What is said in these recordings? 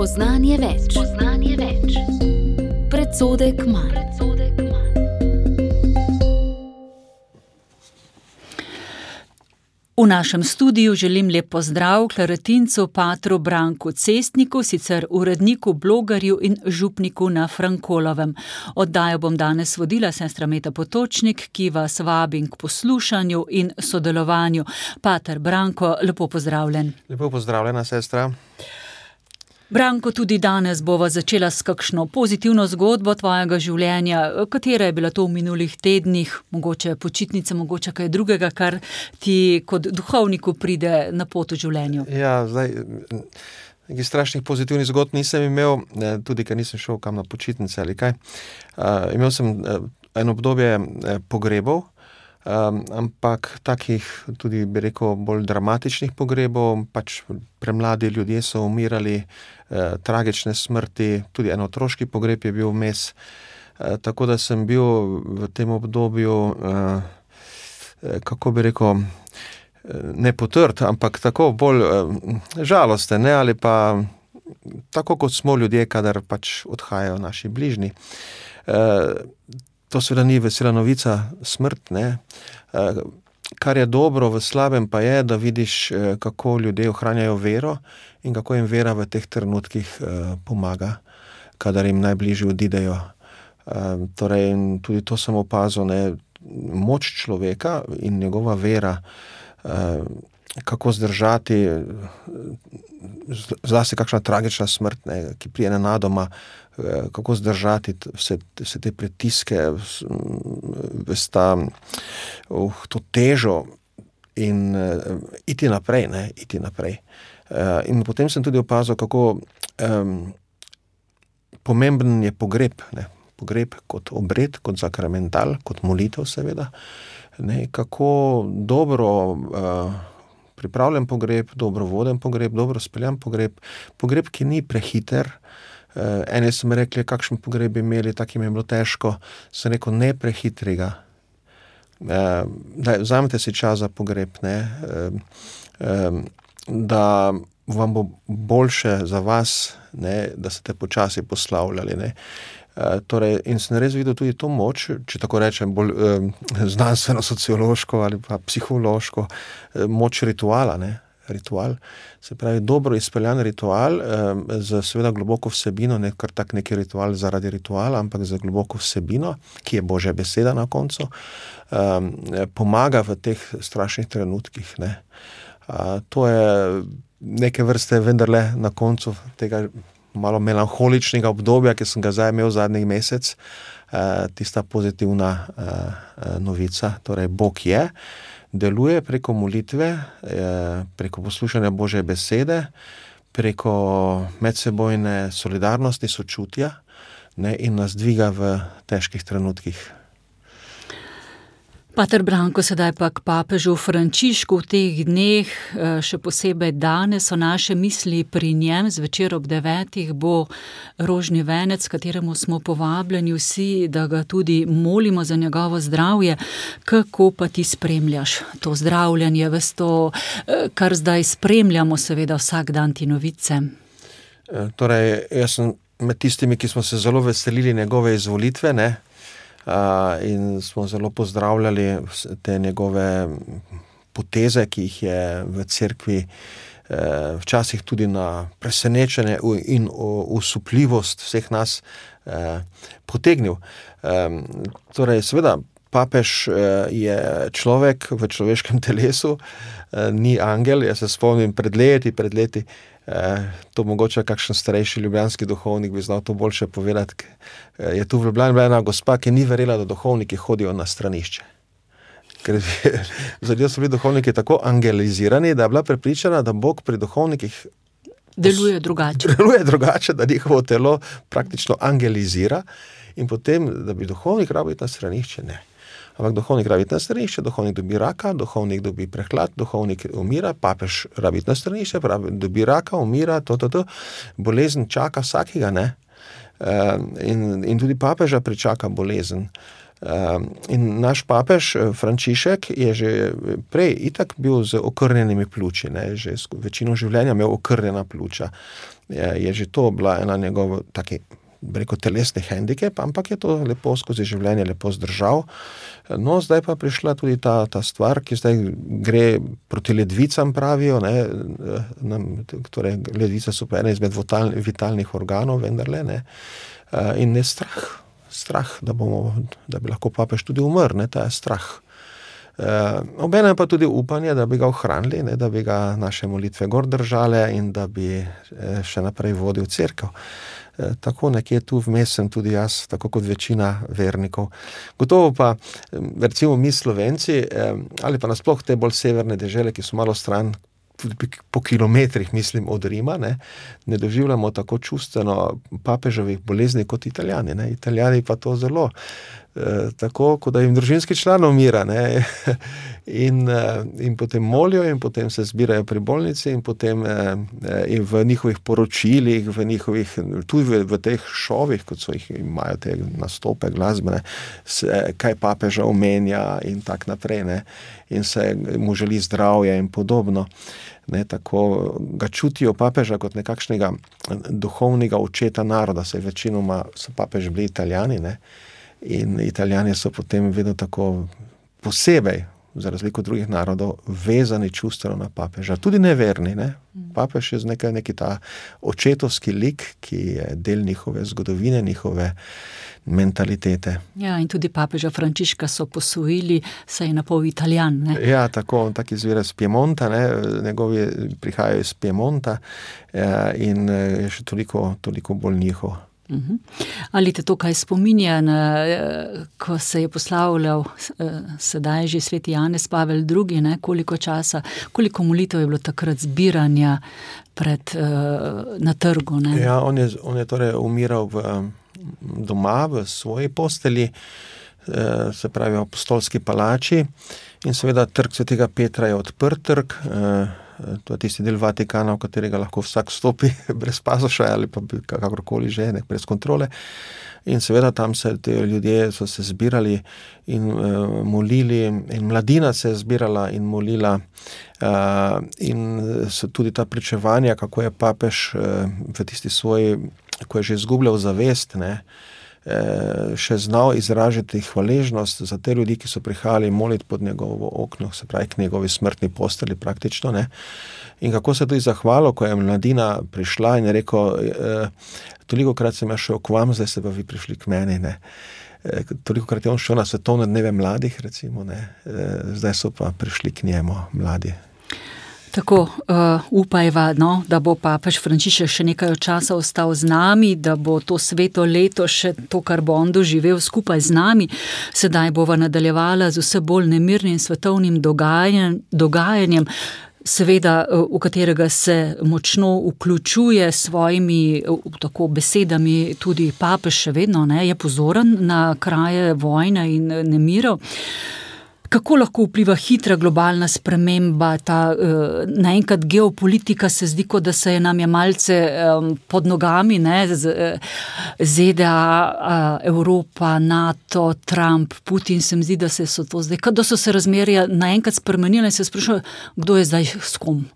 Spoznanje več. Predsodek manj. V našem studiu želim lep pozdrav klarinetincu patru Branku Cestniku, sicer uredniku, blogerju in župniku na Frankolovem. Oddajo bom danes vodila sestra Meta Potočnik, ki vas vabim k poslušanju in sodelovanju. Pater Branko, lepo pozdravljen. Lepo pozdravljena, sestra. Branko, tudi danes bova začela s kakšno pozitivno zgodbo tvojega življenja. Katera je bila to v minulih tednih, mogoče počitnice, mogoče kaj drugega, kar ti kot duhovniku pride na pot v življenju? Ja, zdaj, nekih strašnih pozitivnih zgodb nisem imel, tudi ker nisem šel kam na počitnice ali kaj. Imel sem eno obdobje pogrebov, ampak takih tudi, bi rekel, bolj dramatičnih pogrebov, pač premladi ljudje so umirali, tragične smrti, tudi en otroški pogreb je bil vmes, tako da sem bil v tem obdobju, kako bi rekel, ne potrt, ampak tako bolj žalosten, ne, ali pa tako kot smo ljudje, kadar pač odhajajo naši bližnji. To seveda ni vesela novica, smrt, ne. Kar je dobro v slabem pa je, da vidiš, kako ljudje ohranjajo vero in kako jim vera v teh trenutkih pomaga, kadar jim najbližji odidejo. Torej, tudi to sem opazil, ne, moč človeka in njegova vera, kako zdržati, zlasti kakšna tragična smrt, ne, ki prije nenadoma, kako zdržati vse te pritiske, to težo in iti naprej, ne, iti naprej. In potem sem tudi opazil, kako pomemben je pogreb, ne, pogreb kot obred, kot sakramental, kot molitev seveda, ne, kako dobro pripravljen pogreb, dobro voden pogreb, dobro speljan pogreb, ki ni prehiter. Eni so mi rekli, kakšen pogreb bi imeli, tak jim je bilo težko. Sem rekel, ne prehitrega. Vzamete si čas za pogreb, ne, da vam bo boljše za vas, ne, da ste počasi poslavljali, ne. Torej, in sem res videl tudi to moč, če tako rečem, bolj znanstveno-sociološko ali pa psihološko, moč rituala, ne. Ritual, se pravi dobro izpeljan ritual, z seveda globoko vsebino, ne kar tak neki ritual zaradi rituala, ampak z globoko vsebino, ki je Božja beseda na koncu, pomaga v teh strašnih trenutkih, ne. To je neke vrste vendarle na koncu tega malo melanholičnega obdobja, ki sem ga zdaj imel zadnji mesec, tista pozitivna novica, torej Bog je, deluje preko molitve, preko poslušanja Božje besede, preko medsebojne solidarnosti, sočutja, ne, in nas dviga v težkih trenutkih. Pater Branko, sedaj pa k papežu Frančišku. V teh dneh, še posebej danes, so naše misli pri njem. Zvečer ob 9 bo rožni venec, kateremu smo povabljeni vsi, da ga tudi molimo za njegovo zdravje. Kako pa ti spremljaš to zdravljanje, ves to, kar zdaj spremljamo, seveda vsak dan ti novice? Torej, jaz sem med tistimi, ki smo se zelo veselili njegove izvolitve, ne, in smo zelo pozdravljali te njegove poteze, ki jih je v cerkvi včasih tudi na presenečenje in osupljivost vseh nas potegnil. Torej, seveda, papež je človek v človeškem telesu, ni angel. Jaz se spomnim pred leti, to mogoče kakšen starejši ljubljanski duhovnik bi znal to boljše povedati. Je tu v Ljubljani bila ena gospa, ki ni verjela, da duhovniki hodijo na stranišče. Ker zadnji so bili duhovniki tako angelizirani, da je bila prepričana, da Bog pri duhovnikih deluje drugače, da njihovo telo praktično angelizira in potem, da bi duhovnik rabil iti na stranišče, ne. Ampak duhovnik rabi iti na stranišče, duhovnik dobi raka, duhovnik dobi prehlad, duhovnik umira, papež rabi iti na stranišče, dobi raka, umira, bolezen čaka vsakega, ne. In tudi papeža pričaka bolezen. In naš papež Frančišek je že prej itak bil z okrnjenimi pljuči, ne, že večino življenja imel okrnjena pljuča. Je že to bila ena njegov taki, telesni hendikep, ampak je to lepo skozi življenje lepo zdržal. No, zdaj pa prišla tudi ta stvar, ki zdaj gre proti ledvicam, pravijo, ne, torej ledvice so pa ena izmed vitalnih organov, vendarle, ne, in je strah, da bi lahko papež tudi umrl, ne, ta je strah. Obenem pa tudi upanje, da bi ga ohranili, ne, da bi ga naše molitve gor držale in da bi še naprej vodil cerkev. Tako nekje tu vmes sem tudi jaz, tako kot večina vernikov. Gotovo pa, recimo mi Slovenci, ali pa nasploh te bolj severne dežele, ki so malo stran, po kilometrih, mislim, od Rima, ne doživljamo tako čustveno papeževih bolezni kot Italijani. Ne. Italijani pa to zelo, tako, kot da jim družinski član umira, ne. In potem molijo in potem se zbirajo pri bolnici in potem in v njihovih poročilih, tudi v teh šovih, kot so imajo te nastope glasbene, kaj papeža omenja in tak naprej, ne. In se mu želi zdravja in podobno. Ne, tako ga čutijo papeža kot nekakšnega duhovnega očeta naroda, saj večinoma so papeži bili Italijani, ne, in Italijani so potem vedno tako posebej, za razliko od drugih narodov, vezani čustveno na papeža. Tudi neverni, ne. Papež je neki ta očetovski lik, ki je del njihove zgodovine, njihove mentalitete. Ja, in tudi papeža Frančiška so posvojili, saj je napol Italijan, ne? Ja, tako, on tak izvira iz Piemonta, ne, njegovi prihajajo iz Piemonta, in je še toliko bolj njihov. Ali te to kaj spominja, ko se je poslavljal sedaj že sveti Janez Pavel II, ne, koliko molitev je bilo takrat zbiranja na trgu, ne? Ja, on je torej umiral doma v svoji postelji, se pravi v apostolski palači, in seveda trg svetega Petra je odprt trg, to je tisti del Vatikana, v katerega lahko vsak stopi brez pasoša ali pa kakorkoli že, brez kontrole. In seveda tam ljudje so se zbirali in molili, in mladina se je zbirala in molila, in so tudi ta pričevanja, kako je papež v tisti svoji, ko je že izgubljal zavest, ne, še znal izražati hvaležnost za te ljudi, ki so prihajali moliti pod njegovo okno, se pravi k njegovi smrtni posteli praktično, ne. In kako se tudi zahvalil, ko je mladina prišla in je rekel, tolikokrat sem jaz šel k vam, zdaj ste pa vi prišli k meni, ne. Tolikokrat je on šel na svetovne dneve mladih, recimo, ne, zdaj so pa prišli k njemu mladi. Tako, upajva, no, da bo papež Frančišek še nekaj časa ostal z nami, da bo to sveto leto še to, kar bo on doživel skupaj z nami. Sedaj bova nadaljevala z vse bolj nemirnim svetovnim dogajanjem, seveda, v katerega se močno vključuje s svojimi tako besedami tudi papež še vedno, ne, je pozoren na kraje vojne in nemirov. Kako lahko vpliva hitra globalna sprememba, ta naenkrat geopolitika se zdi, kot da se nam je malce pod nogami, ne, ZDA, Evropa, NATO, Trump, Putin, se mi zdi, da so to zdaj, da so se razmerja naenkrat spremenile in se sprašujejo, kdo je zdaj s kom.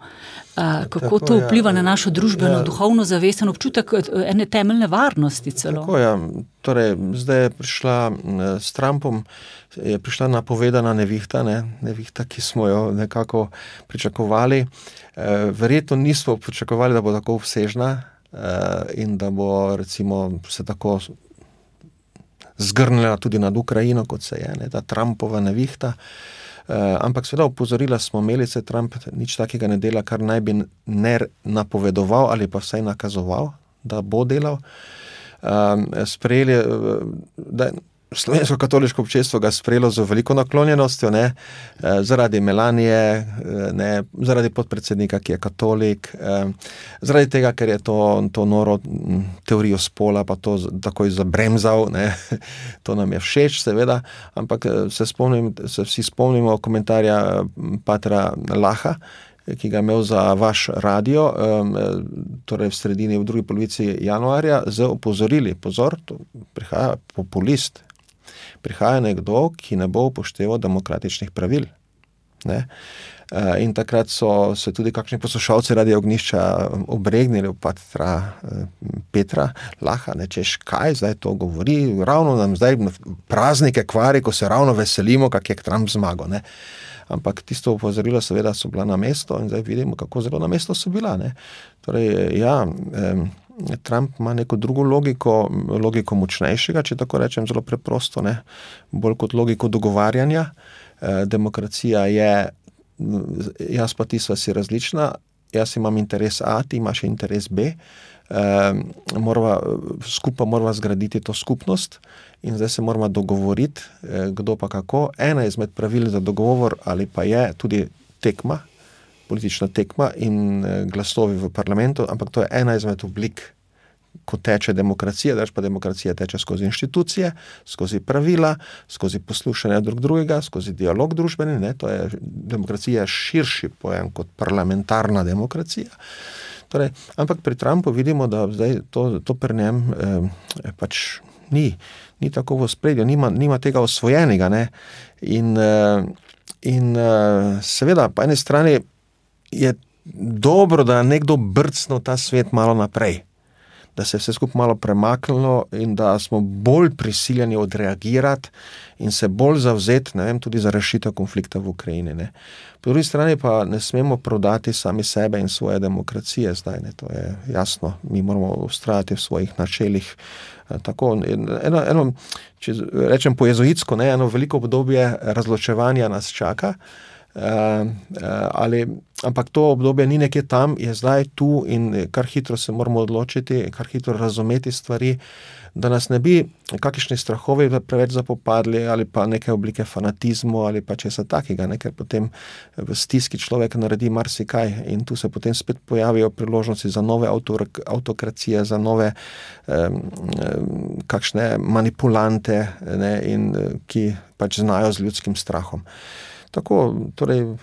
Kako to vpliva na našo družbeno, duhovno zavest in občutek ene temeljne varnosti celo. Tako, ja. Torej, zdaj je prišla s Trumpom, je prišla napovedana nevihta, nevihta, ki smo jo nekako pričakovali. Verjetno nismo pričakovali, da bo tako obsežna in da bo recimo se tako zgrnila tudi nad Ukrajino, kot se je, ta Trumpova nevihta. Ampak seveda opozorila smo imeli, se Trump nič takega ne dela, kar naj bi ne napovedoval ali pa vsaj nakazoval, da bo delal. Sprejeli, da slovensko katoliško občestvo ga sprejelo z veliko naklonjenostjo, ne, zaradi Melanije, ne, zaradi podpredsednika, ki je katolik, zaradi tega, ker je to noro teorijo spola pa to takoj zabremzal, ne, to nam je všeč, seveda, ampak se vsi spomnimo komentarja patra Laha, ki ga je imel za vaš radio, torej v drugi polovici januarja, z opozorili, pozor, to prihaja populist. prihaja nekdo, ki ne bo upošteval demokratičnih pravil. Ne? In takrat so se tudi kakšni poslušalci Radia Ognjišča obregnili v Petra Laha, ne, češ kaj zdaj to govori, ravno nam zdaj praznike kvari, ko se ravno veselimo, kak je Trump zmagal. Ne. Ampak tisto opozorilo seveda so bila na mesto in zdaj vidimo, kako zelo na mesto so bila. Ne. Torej, Trump ima neko drugo logiko močnejšega, če tako rečem, zelo preprosto, ne. Bolj kot logiko dogovarjanja. Demokracija je, jaz pa ti sva si različna, jaz imam interes A, ti imaš interes B, skupaj morava zgraditi to skupnost in zdaj se morava dogovoriti, kdo pa kako. Ena izmed pravil za dogovor ali pa je tudi tekma, politična tekma in glasovi v parlamentu, ampak to je ena izmed oblik, ko teče demokracija, pa demokracija teče skozi inštitucije, skozi pravila, skozi poslušanje drugega, skozi dialog družbeni, ne, to je demokracija širši pojem kot parlamentarna demokracija. Torej, ampak pri Trumpu vidimo, da zdaj to pri njem pač ni tako v ospredju, nima tega osvojenega, ne, in seveda, po eni strani je dobro, da nekdo brcnil ta svet malo naprej, da se je vse skupaj malo premaknilo in da smo bolj prisiljeni odreagirati in se bolj zavzeti, ne vem, tudi za rešitev konflikta v Ukrajini. Ne. Po drugi strani pa ne smemo prodati sami sebe in svoje demokracije zdaj, ne, to je jasno. Mi moramo vztrajati v svojih načelih. Tako, eno, če rečem po jezuitsko, ne, eno veliko obdobje razločevanja nas čaka, ampak to obdobje ni nekje tam, je zdaj tu in kar hitro se moramo odločiti, kar hitro razumeti stvari, da nas ne bi kakšni strahovi preveč zapopadli ali pa neke oblike fanatizmu ali pa česa takega, ne, ker potem v stiski človek naredi marsikaj in tu se potem spet pojavijo priložnosti za nove autokracije, za nove kakšne manipulante, ne, in ki pač znajo z ljudskim strahom. Tako, torej,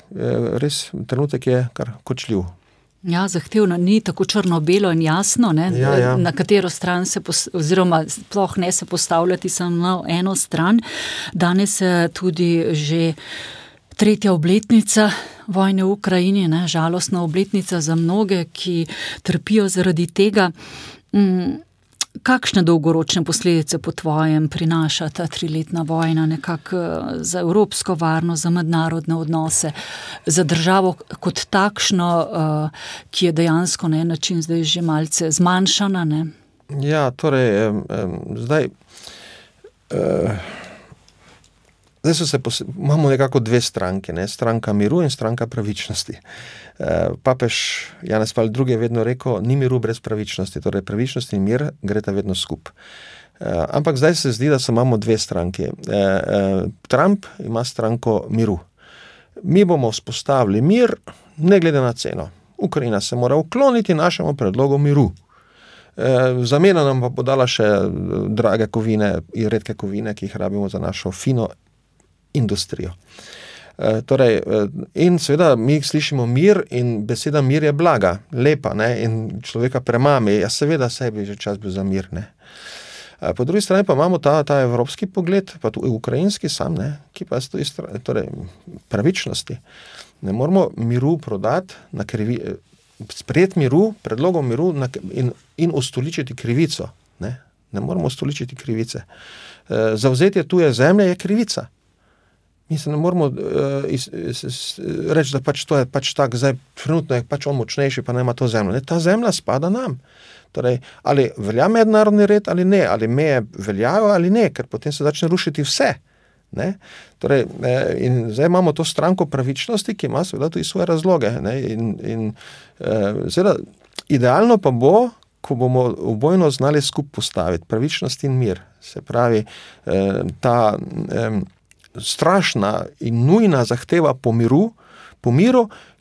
res trenutek je kar kočljiv. Ja, zahtevno, ni tako črno-belo in jasno, ne, ja. Na katero stran oziroma sploh ne se postavljati samo na eno stran. Danes je tudi že 3. obletnica vojne v Ukrajini, ne, žalostna obletnica za mnoge, ki trpijo zaradi tega. Kakšne dolgoročne posledice po tvojem prinaša ta 3-letna vojna nekako za evropsko varnost, za mednarodne odnose, za državo kot takšno, ki je dejansko na en način zdaj že malce zmanjšana? Ne? Ja, torej, zdaj imamo nekako dve stranke, ne? Stranka miru in stranka pravičnosti. Papež Janez Pavel II je vedno rekel, ni miru brez pravičnosti, torej pravičnost in mir greta vedno skup. Ampak zdaj se zdi, da imamo dve stranki. Trump ima stranko miru. Mi bomo vzpostavili mir, ne glede na ceno. Ukrajina se mora ukloniti našemu predlogu miru. Zamena nam pa bo dala še drage kovine in redke kovine, ki jih rabimo za našo fino industrijo. Torej, in seveda mi slišimo mir in beseda mir je blaga, lepa, ne, in človeka premami. Ja, seveda sebi že čas bil za mir, ne. Po drugi strani pa imamo ta evropski pogled, pa tudi ukrajinski sam, ne, ki pa stoji torej, pravičnosti. Ne moramo miru prodati na sprejeti miru, predlogom miru in ustoličiti krivico. Ne moramo ustoličiti krivice. Zavzetje tuje zemlje je krivica. Mi se ne moramo reči, da pač to je pač tak, zdaj trenutno je pač on močnejši, pa nema to zemljo. Ne, ta zemlja spada nam. Torej, ali velja mednarodni red ali ne, ali meje veljajo ali ne, ker potem se začne rušiti vse. Ne? Torej, in zdaj imamo to stranko pravičnosti, ki ima seveda tudi svoje razloge. Ne? In seveda, idealno pa bo, ko bomo obojno znali skupaj postaviti pravičnost in mir. Se pravi, ta strašna in nujna zahteva po miru,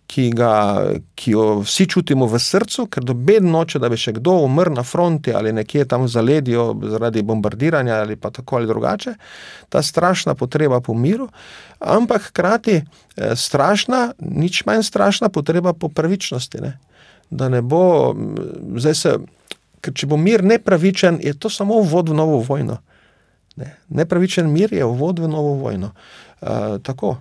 ki jo vsi čutimo v srcu, ker noben noče, da bi še kdo umrl na fronti ali nekje tam v zaledju zaradi bombardiranja ali pa tako ali drugače. Ta strašna potreba po miru, ampak hkrati strašna, nič manj strašna potreba po pravičnosti. Ne? Da ne bo, ker če bo mir nepravičen, je to samo uvod v novo vojno. Ne. Nepravičen mir je uvod v novo vojno. Tako.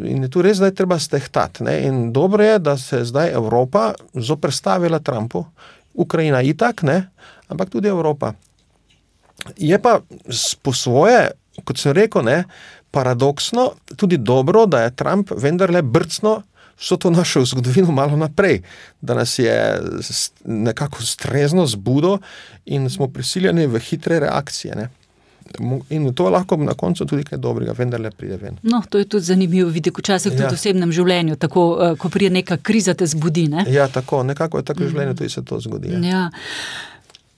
In je tu res zdaj treba stehtati. Ne. In dobro je, da se zdaj Evropa zoperstavila Trumpu, Ukrajina itak, ne, ampak tudi Evropa. Je pa po svoje, kot sem rekel, ne, paradoksno, tudi dobro, da je Trump vendarle brcno vso to našo zgodovino malo naprej, da nas je nekako strezno zbudo in smo prisiljeni v hitre reakcije. Ne. In to lahko na koncu tudi kaj dobrega, vendarle pride ven. No, to je tudi zanimivo videti, včasih tudi v osebnem življenju, tako, ko pride neka kriza, te zbudi, ne? Ja, tako, nekako je tako v življenju, tudi se to zgodi. Ja.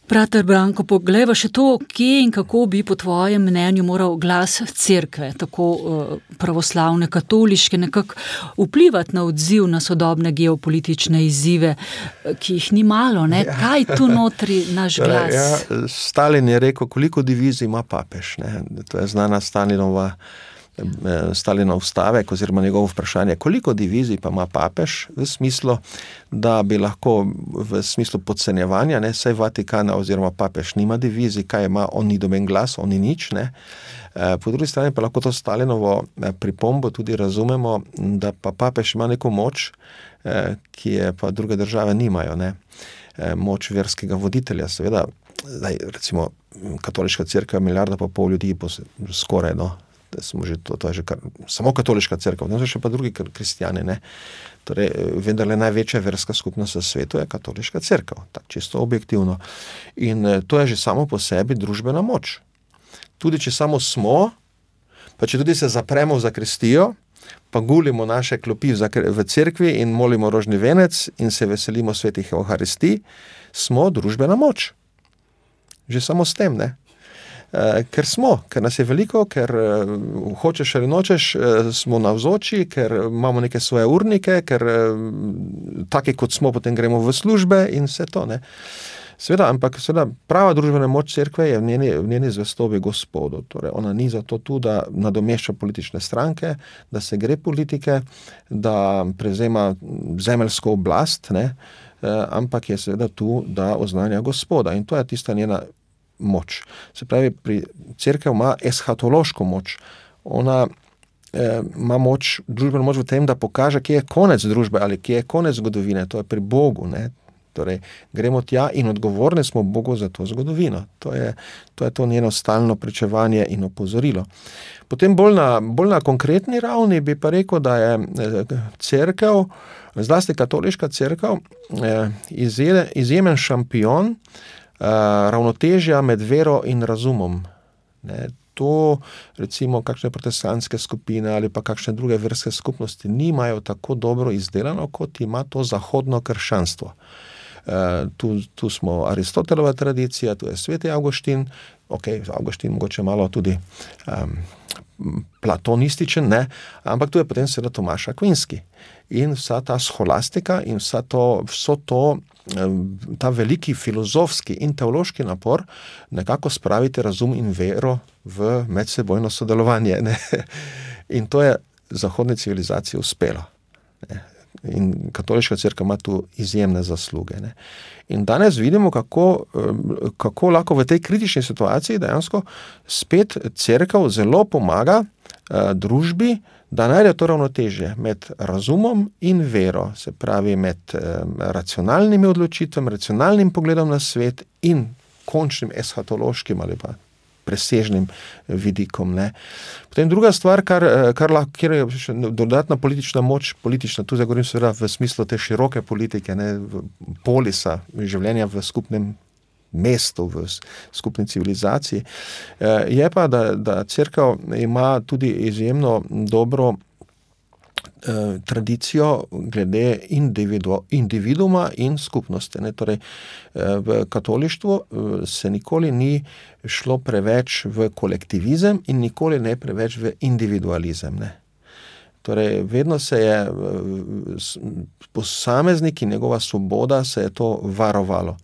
Brater Branko, poglejva še to, kje in kako bi po tvojem mnenju moral glas cerkve, tako pravoslavne, katoliške, nekako vplivati na odziv na sodobne geopolitične izzive, ki jih ni malo, ne? Ja. Kaj tu notri naš glas? Ja, Stalin je rekel, koliko divizij ima papež, ne? To je znana Stalinov stavek oziroma njegovo vprašanje, koliko divizij pa ima papež, v smislu, da bi lahko v smislu podcenjevanja, ne, saj Vatikana oziroma papež nima divizij, kaj ima, on ni doben glas, on ni nič, ne. Po drugi strani pa lahko to Stalinovo pripombo tudi razumemo, da pa papež ima neko moč, ki je pa druge države nimajo, ne. Moč verskega voditelja, seveda, zdaj, recimo, katoliška cerkev je 1,5 milijarde ljudi, skoraj, no. Smo že, to je že samo katoliška cerkev, no, so še pa drugi kristjani, ne. Torej, vendarle največja verska skupnost v svetu je katoliška cerkev, tako čisto objektivno. In to je že samo po sebi družbena moč. Tudi če samo smo, pa če tudi se zapremo v zakristijo, pa gulimo naše klopi v cerkvi in molimo rožni venec in se veselimo svetih evharistij, smo družbena moč. Že samo s tem, ne. Ker nas je veliko, ker hočeš ali nočeš, smo navzoči, ker imamo neke svoje urnike, ker taki kot smo, potem gremo v službe in vse to, ne. Ampak prava družbena moč cerkve je v njeni zvestobi Gospodu. Torej, ona ni zato tu, da nadomešča politične stranke, da se gre politike, da prevzema zemeljsko oblast, ne, ampak je seveda tu, da oznanja Gospoda. In to je tista njena moč. Se pravi, cerkev ima eshatološko moč. Ona ima moč, družbeno moč v tem, da pokaže, kje je konec družbe ali kje je konec zgodovine. To je pri Bogu, ne. Torej, gremo tja in odgovorni smo Bogu za to zgodovino. To je to njeno stalno pričevanje in opozorilo. Potem bolj na konkretni ravni bi pa rekel, da je cerkev, zlasti katoliška cerkev, izjemen šampion ravnotežja med vero in razumom. Ne, to recimo kakšne protestantske skupine ali pa kakšne druge verske skupnosti nimajo tako dobro izdelano, kot ima to zahodno krščanstvo. Tu smo Aristotelova tradicija, tu je sveti Avguštin, Avguštin mogoče malo tudi platonističen, ne, ampak tu je potem seveda Tomaš Akvinski. In vsa ta scholastika in ta veliki filozofski in teološki napor nekako spraviti razum in vero v medsebojno sodelovanje, ne. In to je zahodni civilizaciji uspelo, ne. In katoliška cerkev ima tu izjemne zasluge, ne. In danes vidimo, kako lahko v tej kritični situaciji dejansko spet cerkev zelo pomaga družbi, da najde to ravnotežje med razumom in vero, se pravi med racionalnimi odločitvami, racionalnim pogledom na svet in končnim eshatološkim ali pa presežnim vidikom, ne. Potem druga stvar, kjer je še dodatna politična moč, tu zdaj govorim seveda v smislu te široke politike, ne, polisa, življenja v skupnem mestu, v skupni civilizaciji, je pa, da cerkev ima tudi izjemno dobro tradicijo glede individuuma in skupnosti, ne. Torej, v katolištvu se nikoli ni šlo preveč v kolektivizem in nikoli ne preveč v individualizem, ne. Torej, vedno se je posameznik in njegova svoboda se je to varovalo.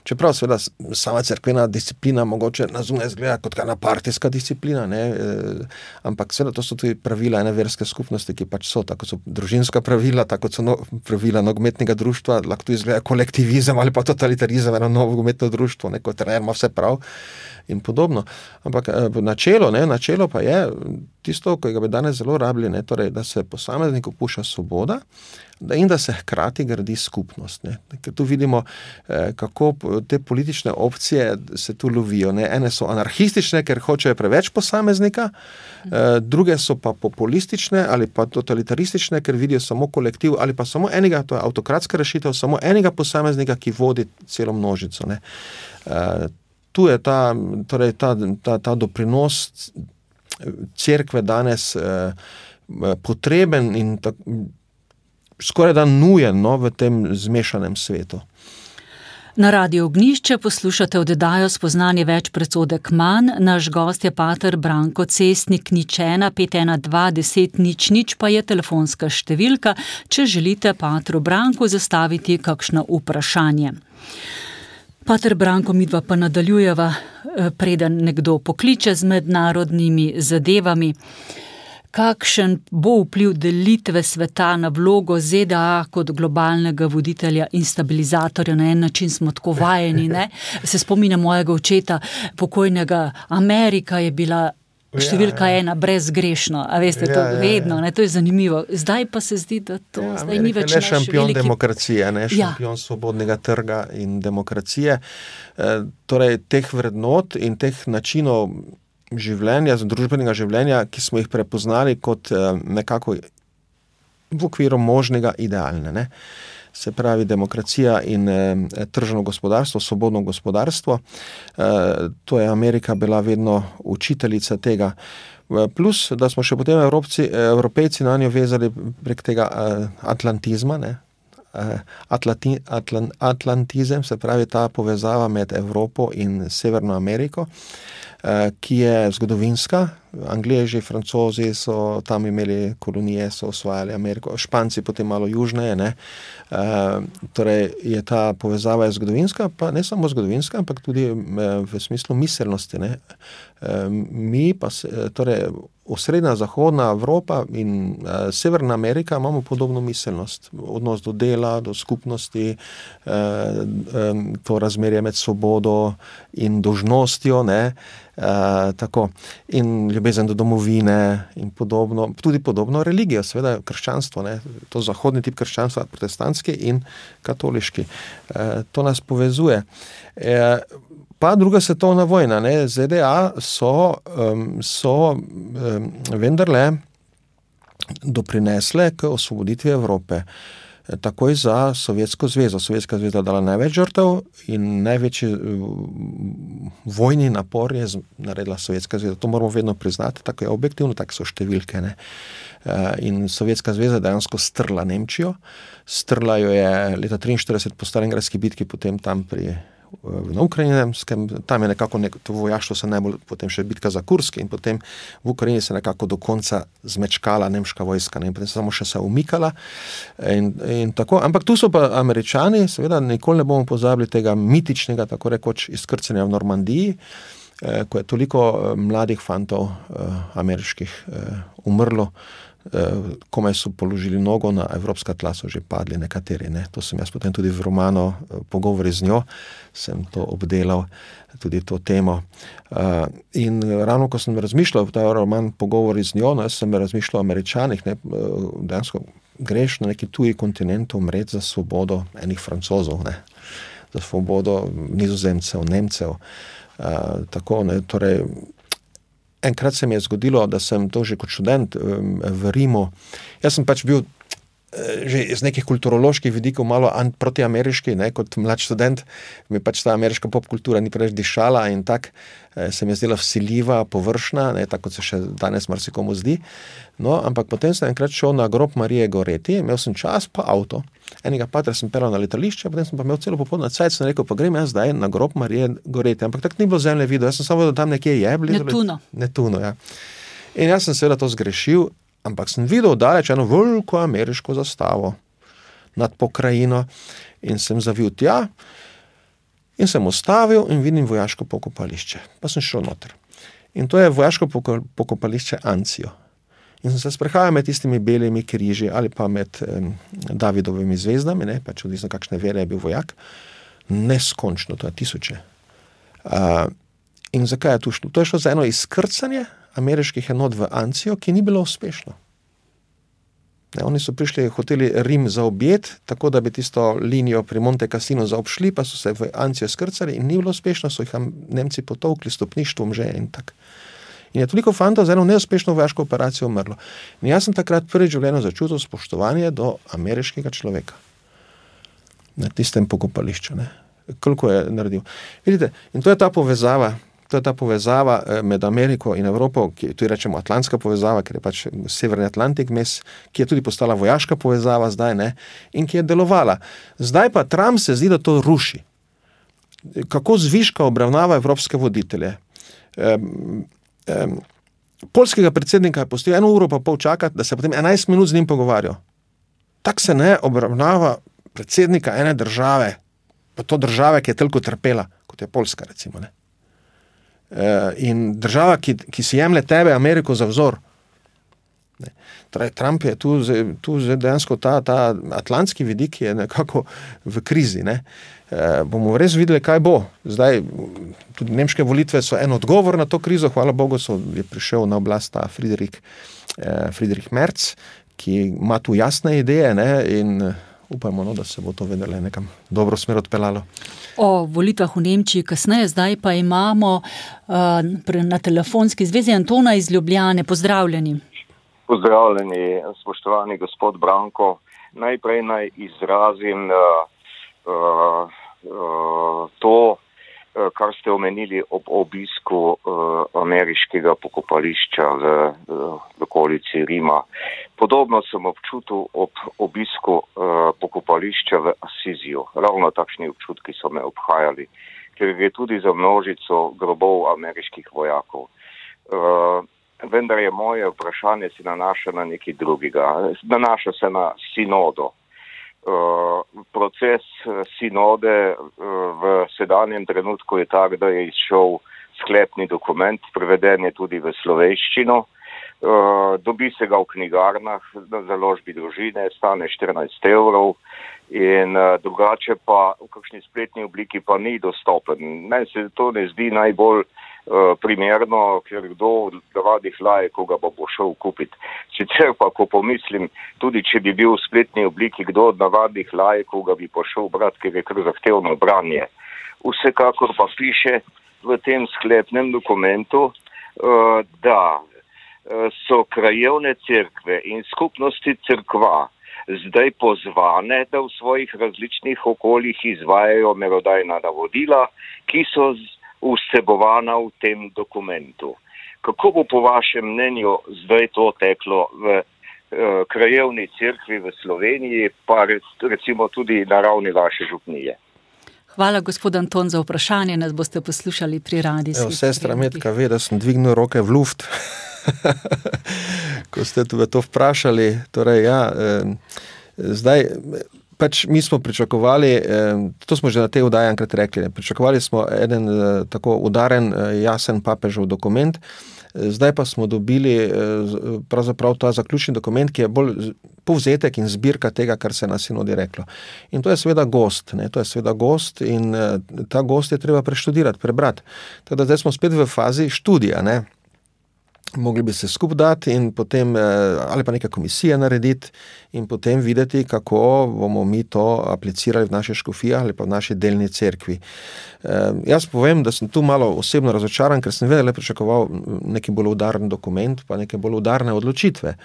Čeprav seveda sama cerkvena disciplina mogoče na zunaj izgleda kot ena partijska disciplina, ne, ampak seveda to so tudi pravila ene verske skupnosti, ki pač so, tako so družinska pravila, tako so pravila nogometnega društva, lahko tudi izgleda kolektivizem ali pa totalitarizem, eno nogometno društvo, neko trener ima vse prav in podobno. Ampak načelo pa je tisto, ko ga bi danes zelo rabili, ne, torej, da se posamezniku pušča svoboda in da se hkrati gradi skupnost. Ne. Ker tu vidimo, kako te politične opcije se tu lovijo. Ne. Ene so anarhistične, ker hočejo preveč posameznika, druge so pa populistične ali pa totalitaristične, ker vidijo samo kolektiv ali pa samo enega, to je avtokratska rešitev, samo enega posameznika, ki vodi celo množico. Ne. Tu je ta doprinos cerkve danes potreben in skoraj da nujen, no, v tem zmešanem svetu. Na Radiu Ognjišče poslušate oddajo Spoznanje več predsodek manj. Naš gost je pater Branko Cestnik, 01 512 10 00 pa je telefonska številka, če želite patru Branku zastaviti kakšno vprašanje. Pater Branko, midva pa nadaljujeva, preden nekdo pokliče z mednarodnimi zadevami. Kakšen bo vpliv delitve sveta na vlogo ZDA kot globalnega voditelja in stabilizatorja? Na en način smo tako vajeni, ne? Se spominjam mojega očeta, pokojnega, Amerika je bila številka ena, brezgrešno, a veste, to vedno, ne, to je zanimivo. Zdaj pa se zdi, da to zdaj ni več naš veliki... Amerika je šampion demokracije, ne, šampion svobodnega trga in demokracije. Torej, teh vrednot in teh načinov življenja, družbenega življenja, ki smo jih prepoznali kot nekako v okviru možnega idealne, ne. Se pravi demokracija in tržno gospodarstvo, svobodno gospodarstvo. To je Amerika bila vedno učiteljica tega. Plus, da smo še potem Evropejci na njo vezali prek tega atlantizma, ne. Atlantizem, se pravi ta povezava med Evropo in Severno Ameriko, ki je zgodovinska. Angleži, Francozi so tam imeli kolonije, so osvajali Ameriko, Španci potem malo južneje, ne. Torej je ta povezava zgodovinska, pa ne samo zgodovinska, ampak tudi v smislu miselnosti, ne. Mi pa, torej osrednja zahodna Evropa in Severna Amerika imamo podobno miselnost, odnos do dela, do skupnosti, to razmerje med svobodo in dolžnostjo, ne. Tako. In ljubezen do domovine in podobno, tudi podobno religijo, seveda krščanstvo, ne, to zahodni tip krščanstva, protestantski in katoliški. To nas povezuje. Pa druga svetovna vojna, ne, ZDA so vendarle doprinesle k osvoboditvi Evrope. Takoj za Sovjetsko zvezo. Sovjetska zveza dala največ žrtev in največji vojni napor je naredila Sovjetska zveza. To moramo vedno priznati, tako je objektivno, tako so številke, ne. In Sovjetska zveza dejansko strla Nemčijo. Strla jo je leta 1943 po Stalingradski bitki, potem tam na Ukrajinskem, tam je nekako to vojaštvo se najbolj, potem še bitka za Kursk in potem v Ukrajini se nekako do konca zmečkala nemška vojska, ne, in potem samo še se umikala in tako, ampak tu so pa Američani, seveda nikoli ne bomo pozabili tega mitičnega, tako rekoč, izkrcanja v Normandiji, ko je toliko mladih fantov ameriških umrlo, komaj so položili nogo na evropska tla, so že padli nekateri, ne. To sem jaz potem tudi v romanu Pogovori z njo, sem to obdelal, tudi to temo. In ravno, ko sem razmišljal ta roman Pogovori z njo, jaz sem razmišljal o Američanih, ne, dejansko greš na neki tuji kontinent umreti za svobodo enih Francozov, ne, za svobodo Nizozemcev, Nemcev, tako, ne, torej enkrat se mi je zgodilo, da sem to že kot študent v Rimu. Jaz sem pač bil že iz nekih kulturoloških vidikov malo protiameriški, ne, kot mlad študent, mi pač ta ameriška popkultura ni preveč dišala in tak se mi je zdela vsiljiva, površna, ne, tako kot se še danes marsikomu zdi. No, ampak potem sem enkrat šel na grob Marije Goreti, imel sem čas pa avto. Enega patra sem pelal na letališče, potem sem pa imel celo popoldne cajt, sem rekel, pa grem jaz zdaj na grob Marije Goreti. Ampak tako ni bilo zemlje videl, jaz sem samo, da tam nekje je blizu. Netuno. Netuno, ja. In jaz sem seveda to zgrešil, ampak sem videl daleč eno veliko ameriško zastavo nad pokrajino in sem zavil tja in sem ustavil in vidim vojaško pokopališče. Pa sem šel noter. In to je vojaško pokopališče Anzio. In sem se sprehajal med tistimi belimi križi ali pa med Davidovimi zvezdami, ne, pač odvisno kakšne vere je bil vojak. Neskončno, to je tisoče. In zakaj je to šlo? To je šlo za eno izkrcanje ameriških enot v Anzio, ki ni bilo uspešno. Ne, oni so prišli, hoteli Rim zaobjeti, tako da bi tisto linijo pri Monte Cassino zaobšli, pa so se v Anzio skrcali in ni bilo uspešno, so jih Nemci potolkli stopništvom že in tak. In je toliko fantov za eno neuspešno vojaško operacijo umrlo. In jaz sem takrat prvič v življenju začutil spoštovanje do ameriškega človeka. Na tistem pokopališču, ne. Koliko je naredil. Vidite, in to je ta povezava med Ameriko in Evropo, ki tudi rečemo atlantska povezava, ker je pač Severni Atlantik mes, ki je tudi postala vojaška povezava zdaj, ne, in ki je delovala. Zdaj pa Trump se zdi, da to ruši. Kako zviška obravnava evropske voditelje. Poljskega predsednika je pustil 1 uro pa pol čakati, da se potem 11 minut z njim pogovarjal. Tak se ne obravnava predsednika ene države, pa to države, ki je toliko trpela, kot je Poljska, recimo, ne. In država, ki si jemlje tebe, Ameriko, za vzor. Ne. Torej, Trump je tu dejansko ta atlantski vidik je nekako v krizi, ne. Bomo res videli, kaj bo. Zdaj, tudi nemške volitve so en odgovor na to krizo, hvala Bogu, je prišel na oblast ta Friedrich Merz, ki ima tu jasne ideje, ne, in upajmo, no, da se bo to vedele nekam dobro smer odpeljalo. O volitvah v Nemčiji kasneje, zdaj pa imamo na telefonski zvezi Antona iz Ljubljane. Pozdravljeni. Pozdravljeni, spoštovani gospod Branko. Najprej naj izrazim to, kar ste omenili ob obisku ameriškega pokopališča v okolici Rima. Podobno sem občutil ob obisku pokopališča v Assiziju. Ravno takšni občutki so me obhajali, ker gre tudi za množico grobov ameriških vojakov. Vendar je moje vprašanje se nanaša na nekaj drugega. Nanaša se na sinodo. Proces sinode v sedanjem trenutku je tak, da je izšel sklepni dokument, preveden je tudi v slovenščino. Dobi se ga v knjigarnah, na založbi Družine, stane 14 € in drugače pa v kakšni spletni obliki pa ni dostopen. Meni se to ne zdi najbolj primerno, ker kdo od radih laikov ga bo šel kupiti. Sicer pa, ko pomislim, tudi če bi bil v spletni obliki, kdo od navadnih laikov ga bi pošel brati, ker je kar zahtevno branje. Vsekakor pa piše v tem sklepnem dokumentu, da so krajevne cerkve in skupnosti cerkva zdaj pozvane, da v svojih različnih okoljih izvajajo merodajna navodila, ki so vsebovana v tem dokumentu. Kako bo po vašem mnenju zdaj to teklo v krajevni cerkvi v Sloveniji, pa recimo tudi na ravni vaše župnije? Hvala, gospod Anton, za vprašanje. Nas boste poslušali pri radijskih. Sestra Metka ve, da sem dvignil roke v luft, ko ste to vprašali. Torej, ja, zdaj, pač mi smo pričakovali, to smo že na tej oddaji enkrat rekli, pričakovali smo eden tako udaren, jasen papežev dokument, zdaj pa smo dobili pravzaprav ta zaključni dokument, ki je bolj povzetek in zbirka tega, kar se na sinodi reklo. In to je seveda gost, ne, to je seveda gost in ta gost je treba preštudirati, prebrati. Tako da zdaj smo spet v fazi študija, ne. Mogli bi se skupaj dati in potem, ali pa neka komisija narediti in potem videti, kako bomo mi to aplicirali v naše škofije ali pa v naši delni cerkvi. Jaz povem, da sem tu malo osebno razočaran, ker sem vedno pričakoval neki bolj udaren dokument, pa neke bolj udarne odločitve.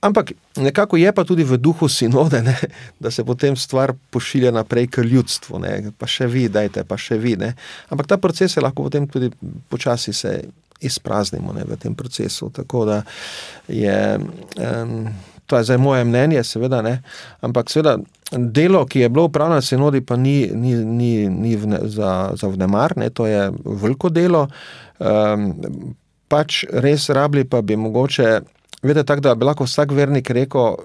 Ampak nekako je pa tudi v duhu sinode, ne, da se potem stvar pošilja naprej k ljudstvu, ne, pa še vi, dajte, pa še vi, ne. Ampak ta proces je lahko potem tudi počasi se izpraznimo, ne, v tem procesu, tako da je, to je zdaj moje mnenje, seveda, ne, ampak seveda delo, ki je bilo upravljeno na sinodi, pa ni za vnemar, ne, to je veliko delo, pač res rabili pa bi mogoče vedete tako, da bi lahko vsak vernik rekel,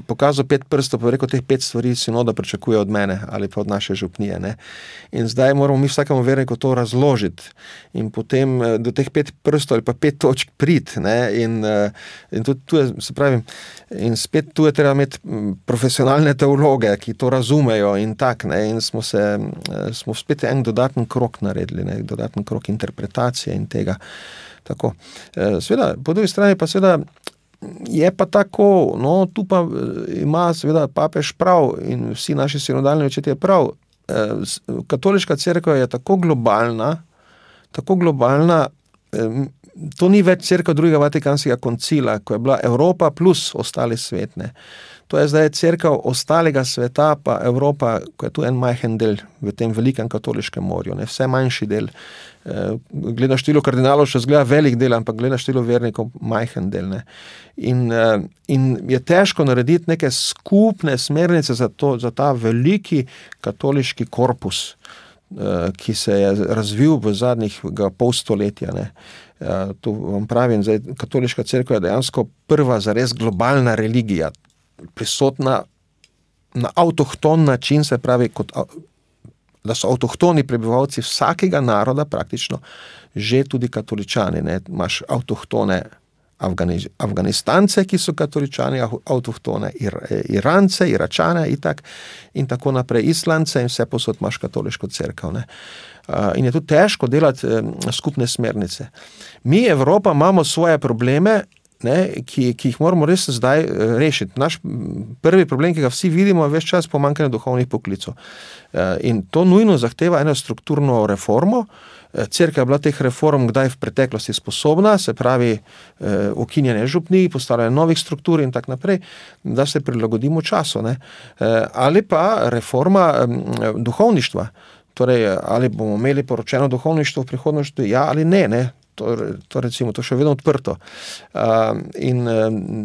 pokazal 5 prstov, pa rekel, teh 5 stvari sinoda pričakuje od mene ali pa od naše župnije. Ne? In zdaj moramo mi vsakemu verniku to razložiti in potem do teh 5 prstov ali pa 5 točk priti. In tudi tu je, se pravi, in spet tu je treba imeti profesionalne teologe, ki to razumejo in tak, ne? In smo spet en dodaten krok naredili, ne? Dodaten krok interpretacije in tega. Tako. Seveda, po drugi strani pa seveda je pa tako, no, tu pa ima seveda papež prav in vsi naši sinodalni očetje prav. Katoliška cerkev je tako globalna, to ni več cerkev drugega Vatikanskega koncila, ko je bila Evropa plus ostali svet, ne. To je zdaj cerkev ostalega sveta, pa Evropa, ko je tu en majhen del v tem velikem katoliškem morju, ne, vse manjši del. Gleda število kardinalov še zgleda velik del, ampak gleda število vernikov majhen del. Ne. In je težko narediti neke skupne smernice za ta veliki katoliški korpus, ki se je razvil v zadnjih pol stoletja. Ne. To vam pravim, zdaj, katoliška cerkev je dejansko prva zares globalna religija, prisotna na avtohton način, se pravi, da so avtohtoni prebivalci vsakega naroda praktično že tudi katoličani. Ne? Imaš avtohtone Afganistance, ki so katoličani, avtohtone Irance, Iračane in tako naprej, Islance in vse posod imaš katoliško cerkev. Ne? In je tu težko delati skupne smernice. Mi, Evropa, imamo svoje probleme, ne, ki jih moramo res zdaj rešiti. Naš prvi problem, ki ga vsi vidimo, je ves čas pomanjkanje duhovnih poklicov. In to nujno zahteva eno strukturno reformo. Cerkev je bila teh reform kdaj v preteklosti sposobna, se pravi ukinjanje župnij, postavljanje novih struktur in tak naprej, da se prilagodimo času. Ne. Ali pa reforma duhovništva. Torej, ali bomo imeli poročeno duhovništvo v prihodnosti, ja ali ne, ne. To recimo, to še vedno odprto. In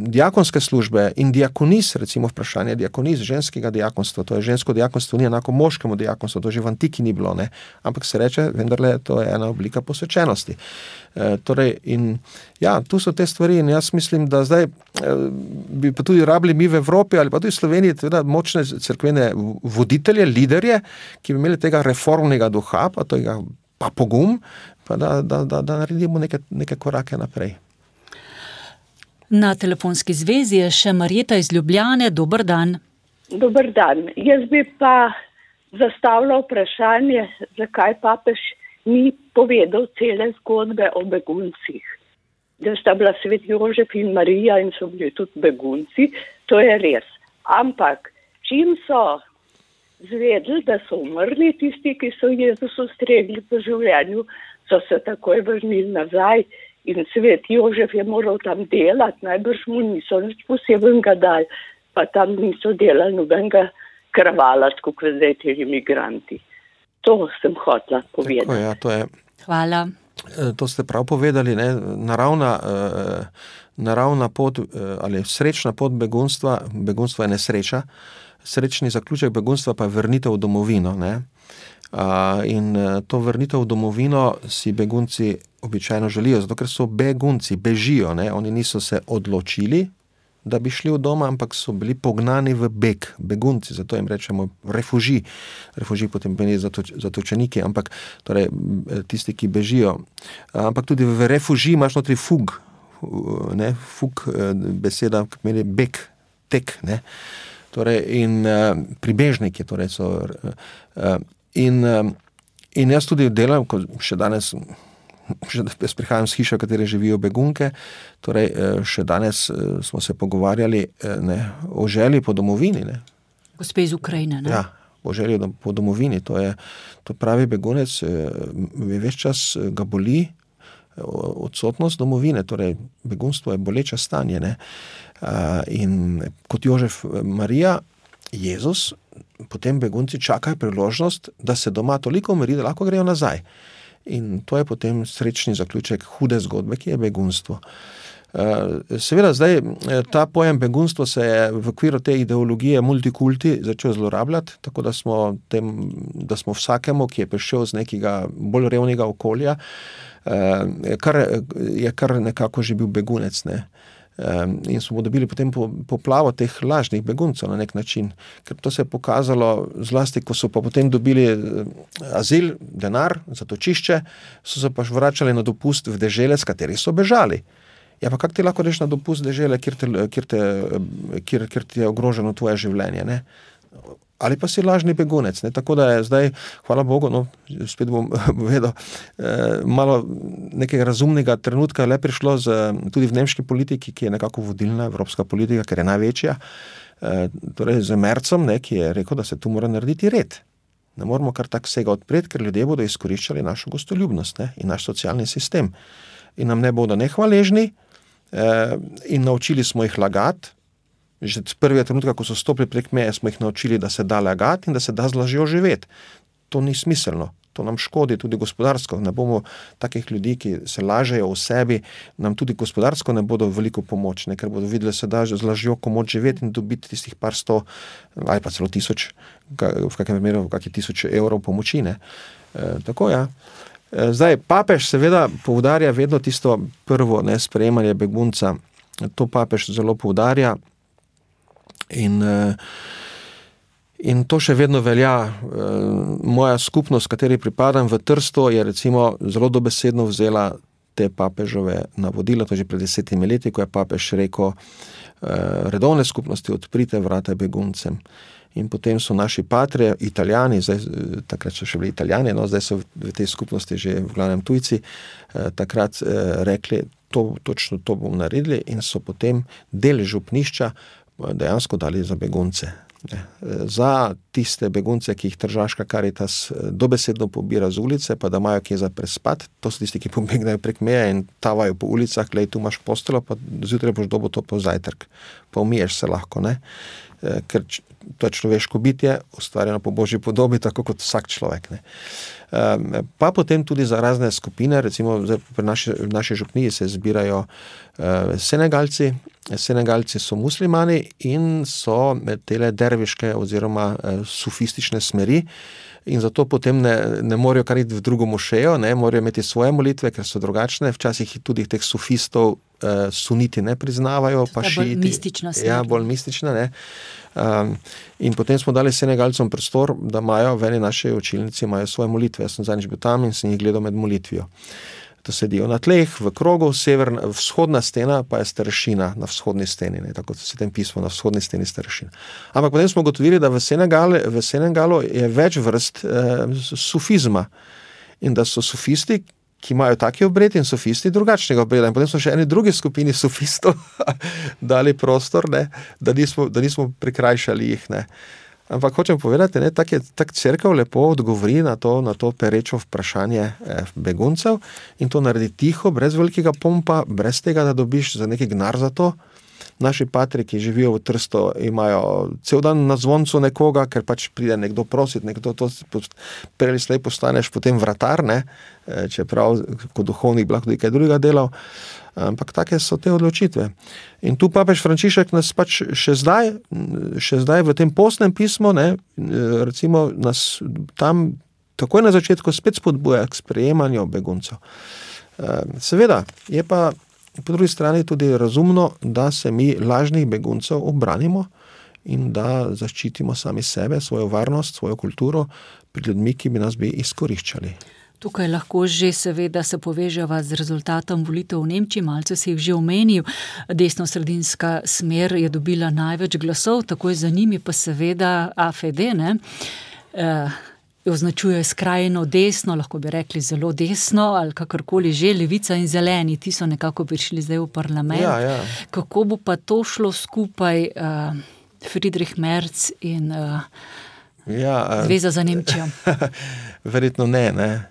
diakonske službe in diakonis, recimo vprašanje diakonis, ženskega diakonstva, to je žensko diakonstvo, ni enako moškemu diakonstvu, to že v antiki ni bilo, ne, ampak se reče, vendarle, to je ena oblika posvečenosti. Torej, in ja, tu so te stvari in jaz mislim, da zdaj bi pa tudi rabili mi v Evropi ali pa tudi v Sloveniji teda močne cerkvene voditelje, liderje, ki bi imeli tega reformnega duha, pa pogum, pa da naredimo neke korake naprej. Na telefonski zvezi je še Marjeta iz Ljubljane. Dober dan. Dober dan. Jaz bi pa zastavila vprašanje, zakaj papež ni povedal cele zgodbe o beguncih. Da sta bila svet Jožef in Marija in so bili tudi begunci, to je res. Ampak, čim so zvedeli, da so umrli tisti, ki so Jezusu stregli po življenju, so se takoj vrnili nazaj in svet Jožef je moral tam delati, najbrž mu niso nič posebnega dali, pa tam niso delali nobenega kravala, tako kot zdaj te imigranti. To sem hotela povedati. Tako, ja, to je. Hvala. To ste prav povedali, ne? Naravna pot ali srečna pot begunstva je nesreča, srečni zaključek begunstva pa je vrnitev v domovino, ne? In to vrnitev v domovino si begunci običajno želijo, zato ker so begunci, bežijo, ne? Oni niso se odločili, da bi šli v doma, ampak so bili pognani v beg, begunci, zato jim rečemo refuži potem pomeni zatočeniki, ampak torej tisti, ki bežijo. Ampak tudi v refuži imaš notri fug, ne? Fug, beseda, ki pomeni beg, tek, ne? Torej, in pribežniki, torej so in jaz tudi delam, ko še danes jaz prihajam z hiše, v kateri živijo begunke, torej še danes smo se pogovarjali o želji po domovini. Ne. Gospe iz Ukrajine, ne? Ja, o želji po domovini. To pravi begunec, ves čas ga boli odsotnost domovine, torej begunstvo je boleče stanje. Ne. In kot Jožef Marija, Jezus, potem begunci čakajo priložnost, da se doma toliko umiri, da lahko grejo nazaj. In to je potem srečni zaključek hude zgodbe, ki je begunstvo. Seveda zdaj ta pojem begunstvo se je v okviru te ideologije multikulti začel zlorabljati, tako da smo vsakemu, ki je prišel z nekega bolj revnega okolja, kar nekako že bil begunec, ne. In smo dobili potem poplavo teh lažnih beguncev na nek način, ker to se je pokazalo zlasti, ko so pa potem dobili azil, denar, zatočišče, so se pa vračali na dopust v dežele, s katerih so bežali. Ja, pa kako ti lahko reš na dopust dežele, kjer ti je ogroženo tvoje življenje, ne? Ali pa si lažni begunec, ne? Tako da je zdaj, hvala Bogu, no, spet bom povedal, malo nekega razumnega trenutka le prišlo tudi v nemški politiki, ki je nekako vodilna evropska politika, ker je največja, torej z Merzom, ne, ki je rekel, da se tu mora narediti red. Ne moramo kar tak vsega odpreti, ker ljudje bodo izkoriščali našo gostoljubnost, ne, in naš socialni sistem. In nam ne bodo nehvaležni, in naučili smo jih lagati. Že od prvega trenutka, ko so stopili prek meje, smo jih naučili, da se da lagati in da se da z lažjo živeti. To ni smiselno, to nam škodi tudi gospodarsko. Ne bomo takih ljudi, ki se lažejo v sebi, nam tudi gospodarsko ne bodo veliko pomoč, ne, ker bodo videli, da se da z lažjo komoč živeti in dobiti tistih par 100 ali pa celo 1000, v kakem primeru, v kakih 1000 evrov pomoči, ne. Tako, ja. Zdaj, papež seveda poudarja vedno tisto prvo, ne, sprejemanje begunca. To papež zelo poudarja in to še vedno velja. Moja skupnost, kateri pripadam v Trstu, je recimo zelo dobesedno vzela te papežove navodila, to že pred 10 leti, ko je papež rekel, redovne skupnosti, odprite vrata beguncem. In potem so naši patrie, Italijani, zdaj, takrat so še bili Italijani, no, zdaj so v tej skupnosti že v glavnem tujci, takrat rekli, točno to bomo naredili in so potem del župnišča dejansko dali za begunce. Za tiste begunce, ki jih Tržaška Karitas dobesedno pobira z ulice, pa da imajo kje za prespat, to so tisti, ki pobegnajo prek meje in tavajo po ulicah, glej, tu imaš postelo, pa zjutraj boš dobil to po zajtrk, pa umiješ se lahko, ne. Ker to je človeško bitje, ustvarjeno po Božji podobi, tako kot vsak človek, ne. Pa potem tudi za razne skupine, recimo pri naši župniji se zbirajo Senegalci. Senegalci so muslimani in so tele derviške oziroma sufistične smeri in zato potem ne morajo kar iti v drugo mošejo, ne, morajo imeti svoje molitve, ker so drugačne, včasih tudi teh sufistov suniti ne priznavajo, pa šiiti. Bolj mistična smer. Ja, bolj mistična, ne. In potem smo dali Senegalcom prostor, da imajo v eni naši učilnici imajo svoje molitve. Jaz sem zadnjič bil tam in sem jih gledal med molitvijo. To sedijo na tleh, v krogu, vzhodna stena pa je starešina na vzhodni steni, ne, tako se tem pismo, na vzhodni steni starešina. Ampak potem smo ugotovili, da v Senegalu je več vrst sufizma in da so sufisti, ki imajo taki obred in sofisti drugačnega obreda. In potem smo še eni drugi skupini sofistov dali prostor, ne, da nismo prikrajšali jih, ne. Ampak hočem povedati, ne, tak cerkev lepo odgovori na to perečo vprašanje beguncev in to naredi tiho, brez velikega pompa, brez tega, da dobiš za neki gnar za to. Naši patri, ki živijo v Trstu, imajo cel dan na zvoncu nekoga, ker pač pride nekdo prositi, nekdo to prej ali slej postaneš potem vratar, ne, čeprav kot duhovnik bi lahko tudi kaj drugega delal, ampak take so te odločitve. In tu papež Frančišek nas pač še zdaj v tem postnem pismu, ne, recimo nas tam takoj na začetku spet spodbuja k sprejemanju beguncev. Seveda je pa po drugi strani tudi razumno, da se mi lažnih beguncev obranimo in da zaščitimo sami sebe, svojo varnost, svojo kulturo pred ljudmi, ki bi nas izkoriščali. Tukaj lahko že seveda se poveževa z rezultatom volitev v Nemčiji, malce si jih že omenil. Desno-sredinska smer je dobila največ glasov, takoj za njimi pa seveda AfD, ne, označuje skrajno desno, lahko bi rekli zelo desno, ali kakorkoli že, Levica in Zeleni, ti so nekako prišli zdaj v parlament. Ja. Kako bo pa to šlo skupaj, Friedrich Merz in Zveza za Nemčijo? Verjetno ne,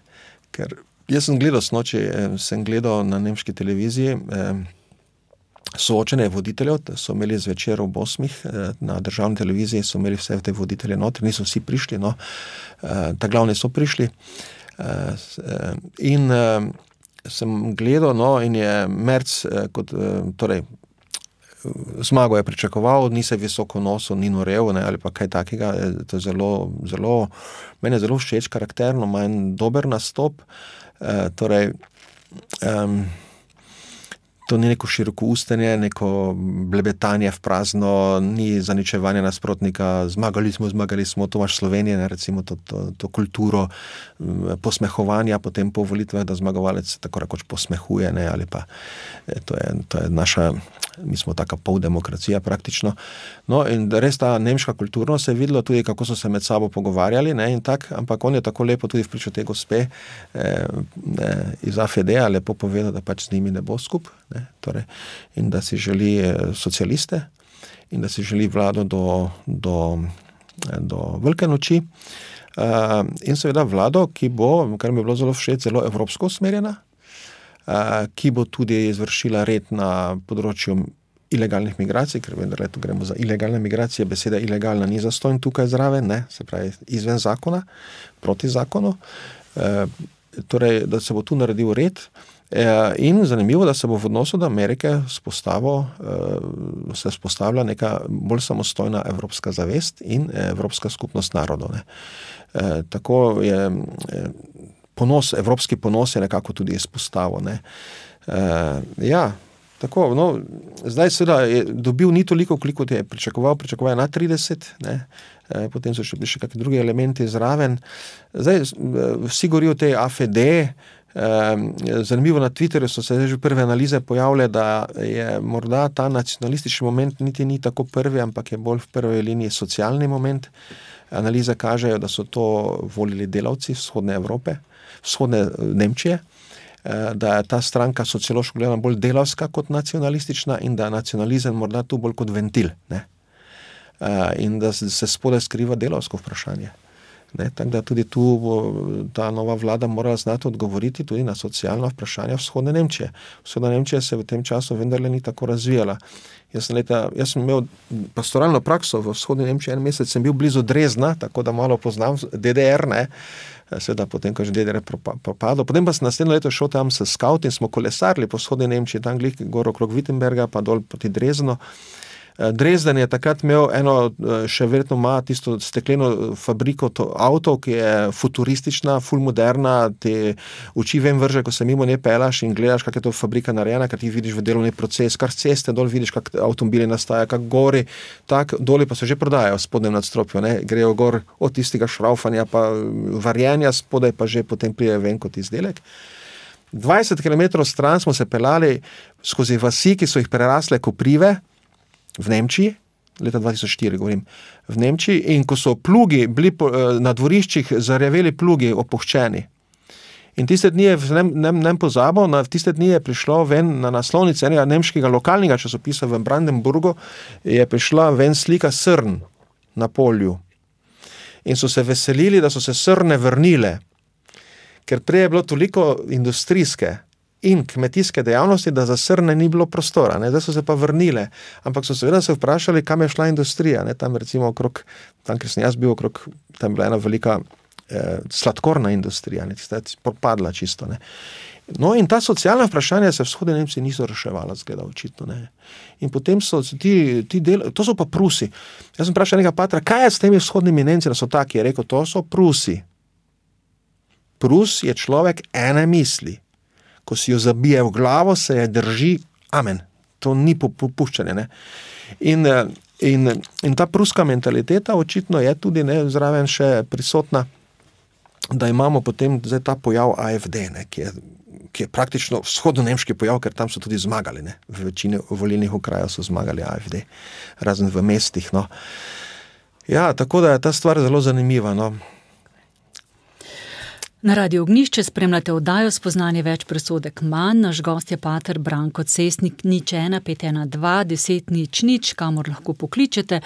ker jaz sem gledal snoči, sem gledal na nemški televiziji soočenje voditeljev, so imeli zvečer ob 8 na državni televiziji, so imeli vse te voditelje notri, niso vsi prišli, no, ta glavni so prišli in sem gledal, no, in je Merz kot, torej, zmago je pričakoval, ni se visoko nosil, ni norel, ne, ali pa kaj takega, to je zelo, meni je zelo všeč karakterno, ima en dober nastop, torej, To ni neko širokoustenje, neko blebetanje v prazno, ni zaničevanje nasprotnika, zmagali smo, to imaš Slovenije, ne, recimo to kulturo posmehovanja potem po volitvah, da zmagovalec tako rekoč posmehuje, ne, ali pa to je naša, mi smo taka poldemokracija praktično. No in res ta nemška kulturnost se je videlo tudi, kako so se med sabo pogovarjali, ne, in tak, ampak on je tako lepo tudi v priču te gospe iz AfD-a lepo povedal, da pač z njimi ne bo skup, ne, torej, in da si želi socialiste in da si želi vlado do velike noči in seveda vlado, ki bo, kar mi je bilo zelo všeč, zelo evropsko usmerjena, ki bo tudi izvršila red na področju ilegalnih migracij, ker vendar tu gremo za ilegalne migracije, beseda ilegalna ni zastonj tukaj zraven, ne, se pravi izven zakona, proti zakonu, torej, da se bo tu naredil red in zanimivo, da se bo v odnosu do Amerike se vzpostavlja neka bolj samostojna evropska zavest in evropska skupnost narodov, ne. Tako je evropski ponos je nekako tudi izpostavil, ne. Ja, tako, no, zdaj seveda je dobil ni toliko, koliko je pričakoval je na 30, ne, potem so še kakšni drugi elementi zraven. Zdaj, vsi govorijo o tej AfD, zanimivo na Twitterju so se že prve analize pojavile, da je morda ta nacionalistični moment niti ni tako prvi, ampak je bolj v prvi liniji socialni moment. Analize kažejo, da so to volili delavci vzhodne Evrope, vzhodne Nemčije, da je ta stranka sociološko gledana bolj delavska kot nacionalistična in da je nacionalizem morda tu bolj kot ventil, ne? In da se spodaj skriva delavsko vprašanje. Ne? Tako da tudi tu bo ta nova vlada morala znati odgovoriti tudi na socialna vprašanja vzhodne Nemčije. Vzhodna Nemčija se v tem času vendarle ni tako razvijala. Jaz sem imel pastoralno prakso v vzhodni Nemčiji, en mesec sem bil blizu Dresdna, tako da malo poznam DDR, ne, seveda potem, ko je že DDR propadel. Potem pa sem naslednje leto šel tam s skaut in smo kolesarili po vzhodni Nemčiji, tam glih gor okrog Wittenberga, pa dol proti Dresdnu. Dresden je takrat imel še verjetno ima tisto stekleno fabriko avtov, ki je futuristična, ful moderna, te oči ven vrže, ko se mimo ne pelaš in gledaš, kak je to fabrika narejena, kar ti vidiš v delovni proces, kar ceste dol vidiš, kak avtomobili nastaja, kak gori, tak doli pa se že prodajajo v spodnjem nadstropju, ne, grejo gor od tistega šraufanja pa varjenja, spodaj pa že potem prije ven kot izdelek. 20 km stran smo se pelali skozi vasi, ki so jih prerasle koprive, v Nemčiji, leta 2004 govorim, v Nemčiji, in ko so plugi bili na dvoriščih zarjaveli plugi opuščeni. In tiste dni je, ne pozabo, tiste dni je prišlo ven na naslovnici enega nemškega lokalnega časopisa v Brandenburgu, je prišla ven slika srn na polju. In so se veselili, da so se srne vrnile, ker prej je bilo toliko industrijske in kmetijske dejavnosti, da za srne ni bilo prostora, ne, zdaj so se pa vrnile, ampak so seveda se vprašali, kam je šla industrija, ne, tam recimo okrog, tam, kjer sem jaz bil okrog, tam je bila ena velika sladkorna industrija, ne, tista je propadla čisto, ne. No in ta socialna vprašanja se v vzhodni Nemčiji niso reševala, zgleda očitno, ne. In potem so to so pa Prusi. Jaz sem vprašal enega patra, kaj je s temi vzhodnimi Nemci, da so taki, je rekel, to so Prusi. Prus je človek ene misli. Ko si jo zabije v glavo, se je drži, amen. To ni popuščanje, ne. In ta pruska mentaliteta očitno je tudi, ne, zraven še prisotna, da imamo potem zdaj ta pojav AfD, ne, ki je praktično vzhodno-nemški pojav, ker tam so tudi zmagali, ne. V večini volilnih okrajev so zmagali AfD, razen v mestih, no. Ja, tako da je ta stvar zelo zanimiva, no. Na Radiu Ognjišče spremljate oddajo Spoznanje več, presodek manj. Naš gost je pater Branko Cesnik, 01 512 10 00, kamor lahko pokličete.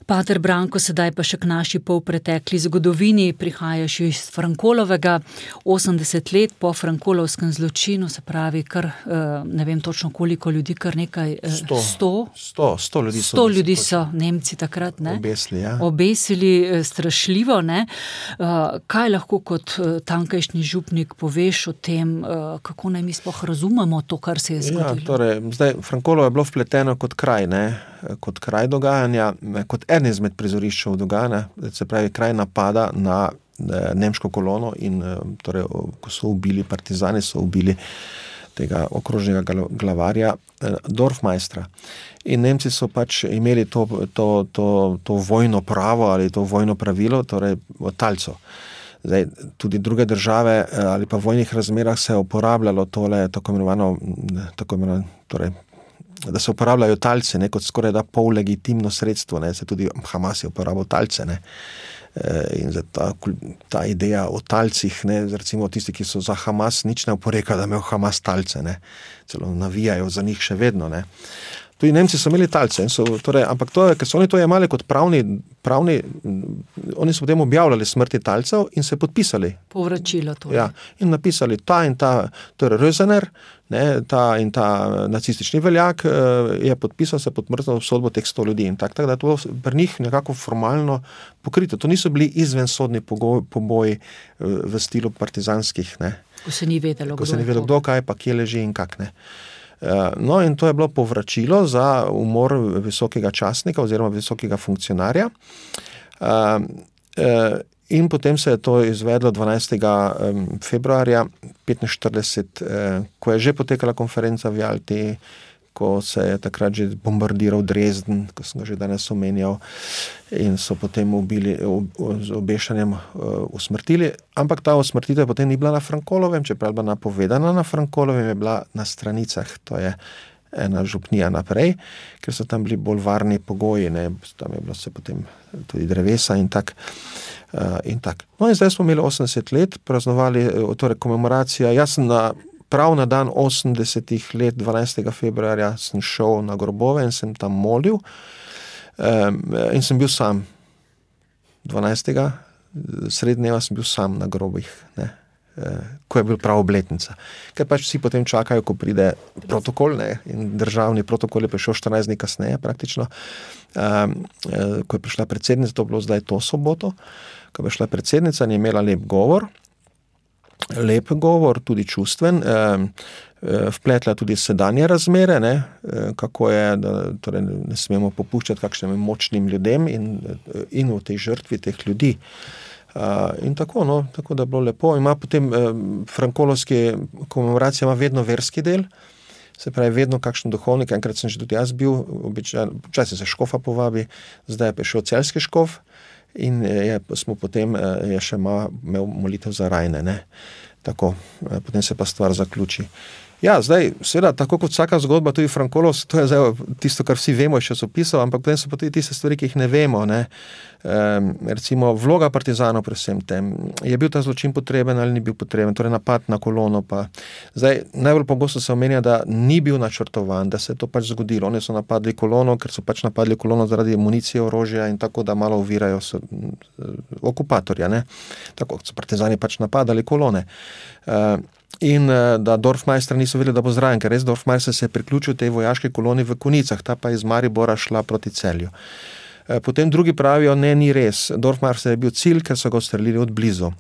Pater Branko, sedaj pa še k naši polpretekli zgodovini, prihajaš iz Frankolovega, 80 let po frankolovskem zločinu, se pravi, kar, ne vem točno koliko ljudi, kar nekaj, 100 ljudi so. 100 ljudi so Nemci takrat, ne? Obesili, ja. Obesili, strašljivo, ne? Kaj lahko kot tankajšnji župnik poveš o tem, kako naj mi sploh razumemo to, kar se je zgodilo? Ja, torej, zdaj, Frankolovo je bilo vpleteno kot kraj, ne? Kot kraj dogajanja, kot en izmed prizoriščev dogajanja, se pravi kraj napada na nemško kolono in torej, ko so ubili partizani, so ubili tega okrožnega glavarja, Dorfmeistra. In Nemci so pač imeli to vojno pravo ali to vojno pravilo, torej od talcev. Zdaj, tudi druge države ali pa v vojnih razmerah se je uporabljalo tole tako imenovano, torej, da se uporabljajo talce, ne, kot skoraj da pol legitimno sredstvo, ne, se tudi Hamas je uporabil talce, ne. In ta ideja o talcih, ne, recimo tisti, ki so za Hamas, nič ne oporeka, da imajo Hamas talce, ne, celo navijajo za njih še vedno, ne. Tudi Nemci so imeli talce, ampak ker so oni to jemali kot pravni, oni so potem objavljali smrti talcev in se podpisali. Povračilo to. Ja, in napisali ta in ta, torej Rösener, ne, ta in ta nacistični veljak je podpisal se pod mrzlo obsodbo teh 100 ljudi in tako da to pri njih nekako formalno pokrito. To niso bili izvensodni poboji v stilu partizanskih, ne. Ko se ni vedelo, kdo kaj pa kje leži in kak, ne. No, in to je bilo povračilo za umor visokega častnika oziroma visokega funkcionarja. In potem se je to izvedlo 12. februarja 1945, ko je že potekala konferenca v Jalti, ko se je takrat že bombardiral Dresden, ko sem ga že danes omenjal, in so potem ubili, z obešanjem usmrtili. Ampak ta usmrtitev potem ni bila na Frankolovem, čeprav je bila napovedana na Frankolovem, je bila na Stranicah, to je ena župnija naprej, ker so tam bili bolj varni pogoji, ne, tam je bilo se potem tudi drevesa in tak. No in zdaj smo imeli 80 let, praznovali, torej komemoracija, jaz sem prav na dan 80 let, 12. februarja, sem šel na grobove in sem tam molil in sem bil sam. 12. srednjeva sem bil sam na grobih, ne, ko je bil prav obletnica. Ker pač vsi potem čakajo, ko pride protokol, ne, in državni protokol je prišel 14 dni kasneje praktično, ko je prišla predsednica, to je bilo zdaj to soboto, ko je prišla predsednica in je imela lep govor, tudi čustven, vpletla tudi sedanje razmere, ne, kako je, da torej ne smemo popuščati kakšnim močnim ljudem in v tej žrtvi teh ljudi. In tako, no, tako da je bilo lepo. Ima potem frankolovski komemoracija ima vedno verski del, se pravi vedno kakšen duhovnik, enkrat sem že tudi jaz bil, včasih se škofa povabi, zdaj je prišel celjski škof, in smo potem je še imel molitev za rajne, ne. Tako, potem se pa stvar zaključi. Ja, zdaj, seveda, tako kot vsaka zgodba, tudi Frankolov, to je zdaj tisto, kar vsi vemo iz časopisov, ampak potem so pa tudi tiste stvari, ki jih ne vemo, ne. Recimo, vloga partizanov pri vsem tem. Je bil ta zločin potreben ali ni bil potreben, torej napad na kolono pa. Zdaj, najbolj pogosto se omenja, da ni bil načrtovan, da se je to pač zgodilo. Oni so napadli kolono, ker so pač napadli kolono zaradi municije, orožja in tako, da malo ovirajo okupatorja, ne. Tako so partizani pač napadali kolone. In da Dorfmeistra niso vedeli, da bo zraven, ker res Dorfmeister se je priključil tej vojaški koloni v Konicah, ta pa iz Maribora šla proti Celju. Potem drugi pravijo, ne, ni res, Dorfmeister je bil cilj, ker so ga ustrelili od blizu.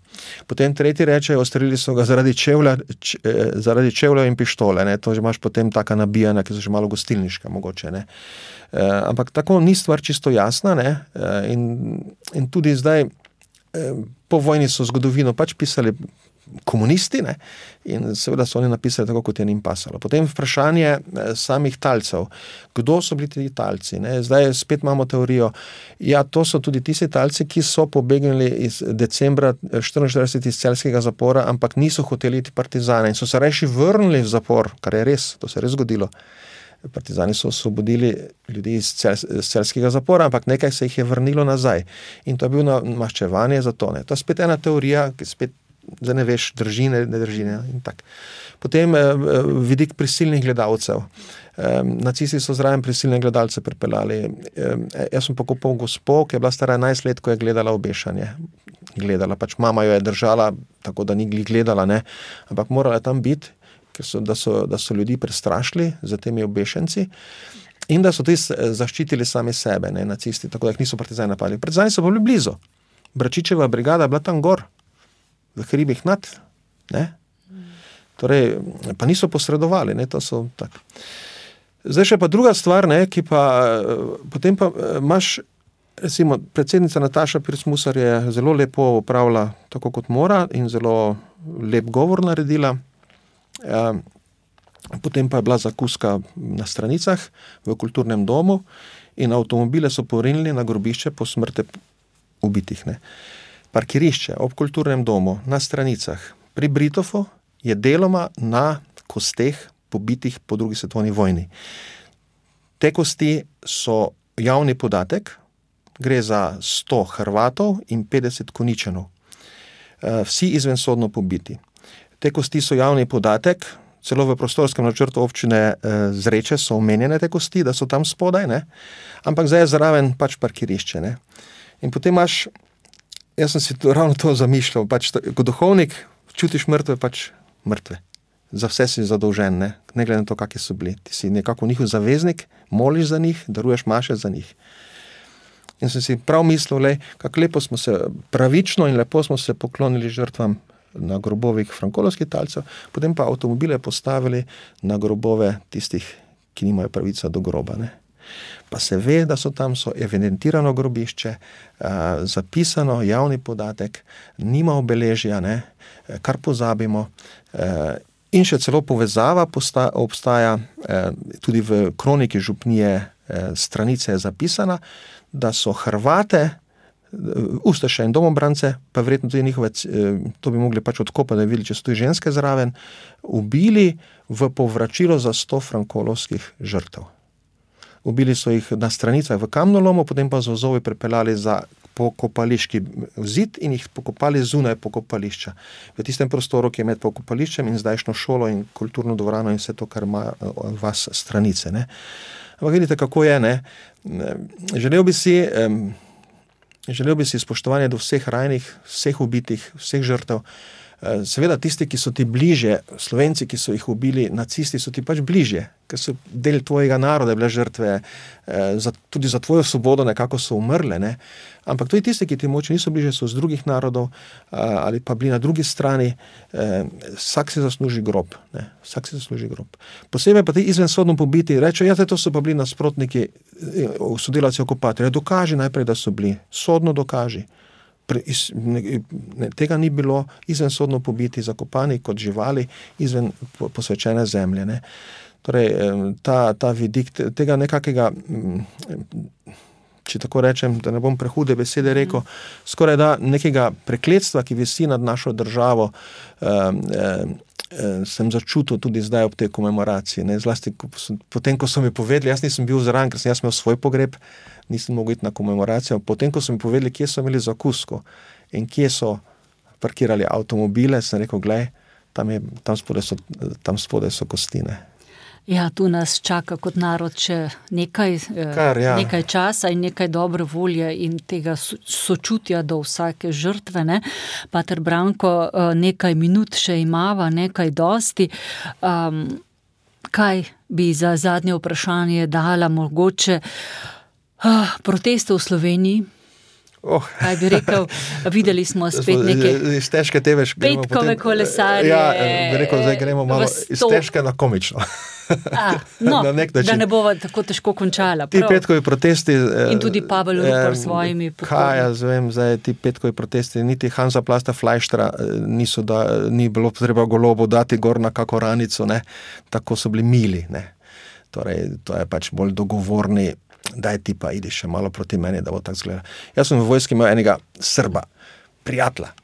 Potem tretji rečejo, ustrelili so ga zaradi čevlja in pištole, ne, to že imaš potem taka nabijanja, ki so že malo gostilniška mogoče, ne. Ampak tako ni stvar čisto jasna, ne, in tudi zdaj po vojni so zgodovino pač pisali komunisti, ne, in seveda so oni napisali tako, kot je njim pasalo. Potem vprašanje samih talcev. Kdo so bili ti talci, ne? Zdaj spet imamo teorijo, ja, to so tudi tisti talci, ki so pobegnili iz decembra 1944 iz celjskega zapora, ampak niso hoteli iti partizane in so se rajši vrnili v zapor, kar je res, to se je res zgodilo. Partizani so osvobodili ljudi iz celjskega zapora, ampak nekaj se jih je vrnilo nazaj. In to je bil maščevanje za to, ne. To je spet ena teorija, ki spet zdaj ne veš, drži, ne drži, ne, in tak. Potem vidik prisilnih gledalcev. Nacisti so zraven prisilne gledalce pripeljali. Jaz sem pokopal gospo, ki je bila stara 11 let, ko je gledala obešanje. Gledala, pač mama jo je držala, tako da ni gledala, ne, ampak morala je tam biti, da so ljudi prestrašili za temi obešenci in da so tudi zaščitili sami sebe, ne, nacisti, tako da jih niso partizani napadli. Partizani so bili blizu. Bračičeva brigada je bila tam gor, v hribih nad, ne. Torej, pa niso posredovali, ne, to so tak. Zdaj še pa druga stvar, ne, ki pa, potem pa imaš, recimo, predsednica Nataša Pirc-Musar je zelo lepo opravila tako, kot mora in zelo lep govor naredila. potem pa je bila zakuska na Stranicah v kulturnem domu in avtomobile so porinili na grobišče po smrti ubitih. Ne. Parkirišče ob kulturnem domu na Stranicah pri Britofu je deloma na kosteh pobitih po drugi svetovni vojni. Te kosti so javni podatek, gre za 100 Hrvatov in 50 Konjičanov. Vsi izvensodno pobiti. Te kosti so javni podatek, celo v prostorskem načrtu občine Zreče so omenjene te kosti, da so tam spodaj, ne? Ampak zdaj je zraven pač parkirišče. Ne? In potem imaš, jaz sem si ravno to zamišljal, pač kot duhovnik čutiš mrtve, pač mrtve. Za vse si zadolžen, ne glede na to, kakšni so bili. Ti si nekako njihov zaveznik, moliš za njih, daruješ maše za njih. In sem si prav mislil, kako lepo smo se, pravično in lepo smo se poklonili žrtvam na grobovih frankolovskih talcev, potem pa avtomobile postavili na grobove tistih, ki nimajo pravica do groba. Ne. Pa se ve, da so tam, so evidentirano grobišče, zapisano, javni podatek, nima obeležja, ne, kar pozabimo. In še celo povezava obstaja, tudi v kroniki župnije Stranice je zapisana, da so Hrvate, ustaše in domobrance, pa verjetno tudi njihove, to bi mogli pač odkopati, da bi videli, če so tudi ženske zraven, ubili v povračilo za 100 frankolovskih žrtev. Ubili so jih na Stranicah v kamnolomu, potem pa z vozovi prepeljali za pokopališki zid in jih pokopali zunaj pokopališča. V tistem prostoru, ki je med pokopališčem in zdajšnjo šolo in kulturno dvorano in vse to, kar ima vas Stranice. Ne. Ampak vidite, kako je, ne. Želel bi si spoštovanje do vseh rajnih, vseh ubitih, vseh žrtev. Seveda tisti, ki so ti bliže, Slovenci, ki so jih ubili, nacisti, so ti pač bliže, ker so del tvojega naroda, bile žrtve, tudi za tvojo svobodo nekako so umrle. Ne? Ampak tudi tisti, ki ti moče niso bliže, so z drugih narodov ali pa bili na drugi strani, vsak si zasluži grob. Ne? Vsak si zasluži grob. Posebej pa ti izvensodno pobiti, rečejo, to so pa bili nasprotniki, sodelavci okupatorja. Dokaži najprej, da so bili, sodno dokaži. Tega ni bilo, izvensodno pobiti, zakopani kot živali izven posvečene zemlje. Ne. Torej, ta vidik tega nekakega, če tako rečem, da ne bom prehude besede rekel, skoraj da nekega prekletstva, ki visi nad našo državo, sem začutil tudi zdaj ob tej komemoraciji. Ne. Zlasti potem, ko so mi povedali, jaz nisem bil zraven, ker sem jaz imel svoj pogreb, nisem mogel iti na komemoracijo. Potem, ko so mi povedali, kje so imeli zakusko in kje so parkirali avtomobile, sem rekel, glej, tam spodaj so kostine. Ja, tu nas čaka kot narod še nekaj časa in nekaj dobre volje in tega sočutja do vsake žrtve. Ne? Pater Branko, nekaj minut še imava, nekaj dosti. Kaj bi za zadnje vprašanje dala mogoče proteste v Sloveniji? Kaj bi rekel, videli smo spet neke petkove kolesarje. Ja, bi rekel, zdaj gremo malo iz težke na komično. Da ne bova tako težko končala. Ti petkovi protesti... In tudi Pavel Rupert s svojimi pokoji. Kaj jaz vem, zdaj ti petkovi protesti, niti Hansa Plasta Fleischtra ni bilo treba Golobu dati gor na kako ranico, ne. Tako so bili mili, ne. Torej, to je pač bolj dogovorni, daj ti pa idi še malo proti meni, da bo tako zgleda. Jaz sem v vojski imel enega Srba, prijatelja.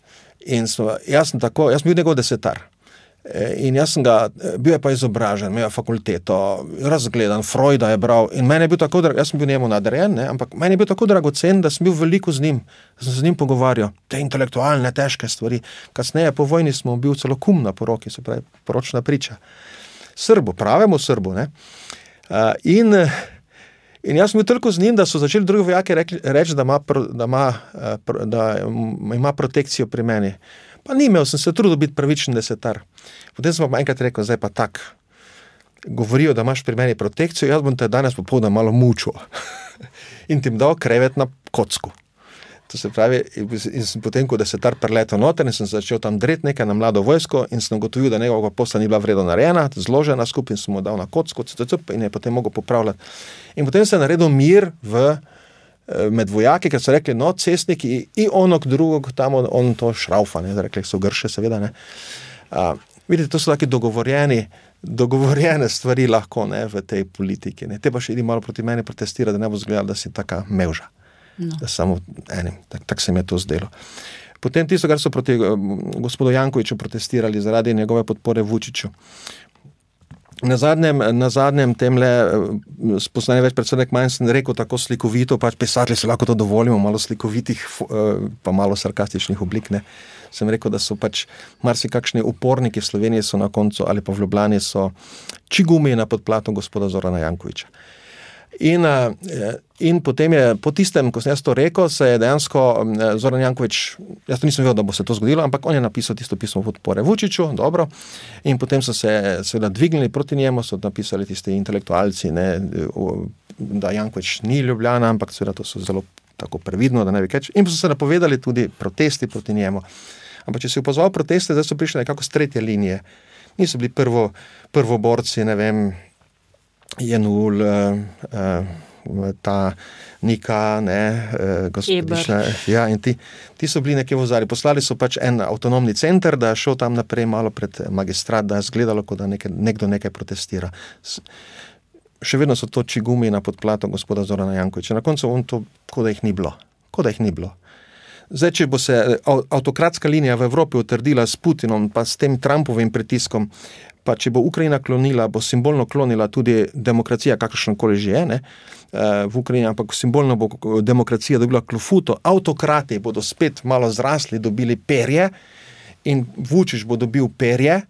In jaz sem bil njegov desetar. In jaz sem ga, bil je pa izobražen, imel je fakulteto, razgledan, Freuda je bral. In meni je bil tako, jaz sem bil njemu nadrejen, ne, ampak meni je bil tako dragocen, da sem bil veliko z njim. Sem se z njim pogovarjal, te intelektualne, težke stvari. Kasneje po vojni smo bil celo kum na poroki, se pravi, poročna priča. Srbu, pravemu Srbu, ne. In jaz sem bil toliko z njim, da so začeli drugi vojaki reči, da ima protekcijo pri meni. Pa ni imel, sem se trudil biti pravičen desetar. Potem sem pa enkrat rekel, zdaj pa tak, govorijo, da imaš pri meni protekcijo, jaz bom te danes popoldan malo mučil. In ti dal krevet na kocku. To se pravi, in sem potem, ko desetar preletel noter in sem začel tam dreti nekaj na mlado vojsko in sem ugotovil, da njegova posla ni bila vredno narejena, zložena skupaj in sem mu dal na kocko in je potem mogel popravljati. In potem se je naredil mir med vojaki, ker so rekli, no, cestniki in onog drugog, tam on to šraufa, ne, rekli so grše, seveda, ne. Vidite, to so taki dogovorjeni dogovorjene stvari lahko, ne, v tej politiki. Ne. Te pa še idi malo proti meni protestira, da ne bo zgledala, da si taka mevža. No. Da samo enim, tak se mi je to zdelo. Potem tisto, kar so proti gospodu Jankoviću protestirali zaradi njegove podpore Vučiću. Na zadnjem temle spoznanje več predsednik manj sem rekel tako slikovito, pač pisatelji se lahko to dovolimo, malo slikovitih, pa malo sarkastičnih oblik, ne. Sem rekel, da so pač marsikakšni uporniki v Sloveniji so na koncu, ali pa v Ljubljani so čigumi na podplatu gospoda Zorana Jankovića. In potem je, po tistem, ko sem jaz to rekel, se je dejansko Zoran Janković, jaz to nisem vedel, da bo se to zgodilo, ampak on je napisal tisto pismo podpore Vučiću, dobro, in potem so se seveda dvignili proti njemu, so napisali tisti intelektualci, ne, da Janković ni Ljubljana, ampak seveda to so zelo tako previdno, da ne bi kaj, in so se napovedali tudi protesti proti njemu. Ampak če si opazoval proteste, zdaj so prišli nekako z tretje linije. Niso bili prvoborci, ne vem, Jenul, ta Nika, ne, gospodična, ja, in ti so bili nekje v ozadju. Poslali so pač en avtonomni center, da je šel tam naprej malo pred magistrat, da je zgledalo, kot da nekdo nekaj protestira. Še vedno so to čigumi na podplatu gospoda Zorana Jankovića. Na koncu on to, kot da jih ni bilo. Zdaj, če bo se avtokratska linija v Evropi utrdila s Putinom, pa s tem Trumpovim pritiskom, pa če bo Ukrajina klonila, bo simbolno klonila tudi demokracija, kakršnokoli že je, ne, v Ukrajini, ampak simbolno bo demokracija dobila klofuto, avtokrati bodo spet malo zrasli, dobili perje in Vučić bo dobil perje,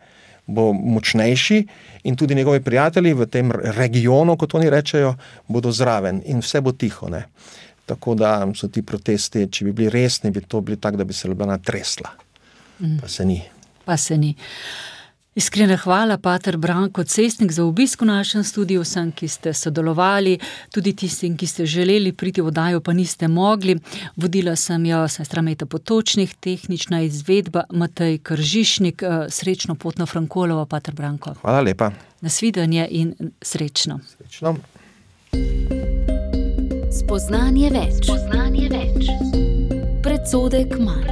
bo močnejši in tudi njegovi prijatelji v tem regionu, kot oni rečejo, bodo zraven in vse bo tiho, ne. Tako da so ti protesti, če bi bili resni, bi to bili tak, da bi se Ljubljana tresla. Pa se ni. Iskrena hvala, pater Branko Cestnik, za obisk v našem studiu, vsem, ki ste sodelovali, tudi tistim, ki ste želeli priti v oddajo, pa niste mogli. Vodila sem jo sestra Meta Potočnik, tehnična izvedba Matej Kržišnik. Srečno pot na Frankolovo, pater Branko. Hvala lepa. Nasvidenje in srečno. Srečno. Spoznanje več. Predsodek manj.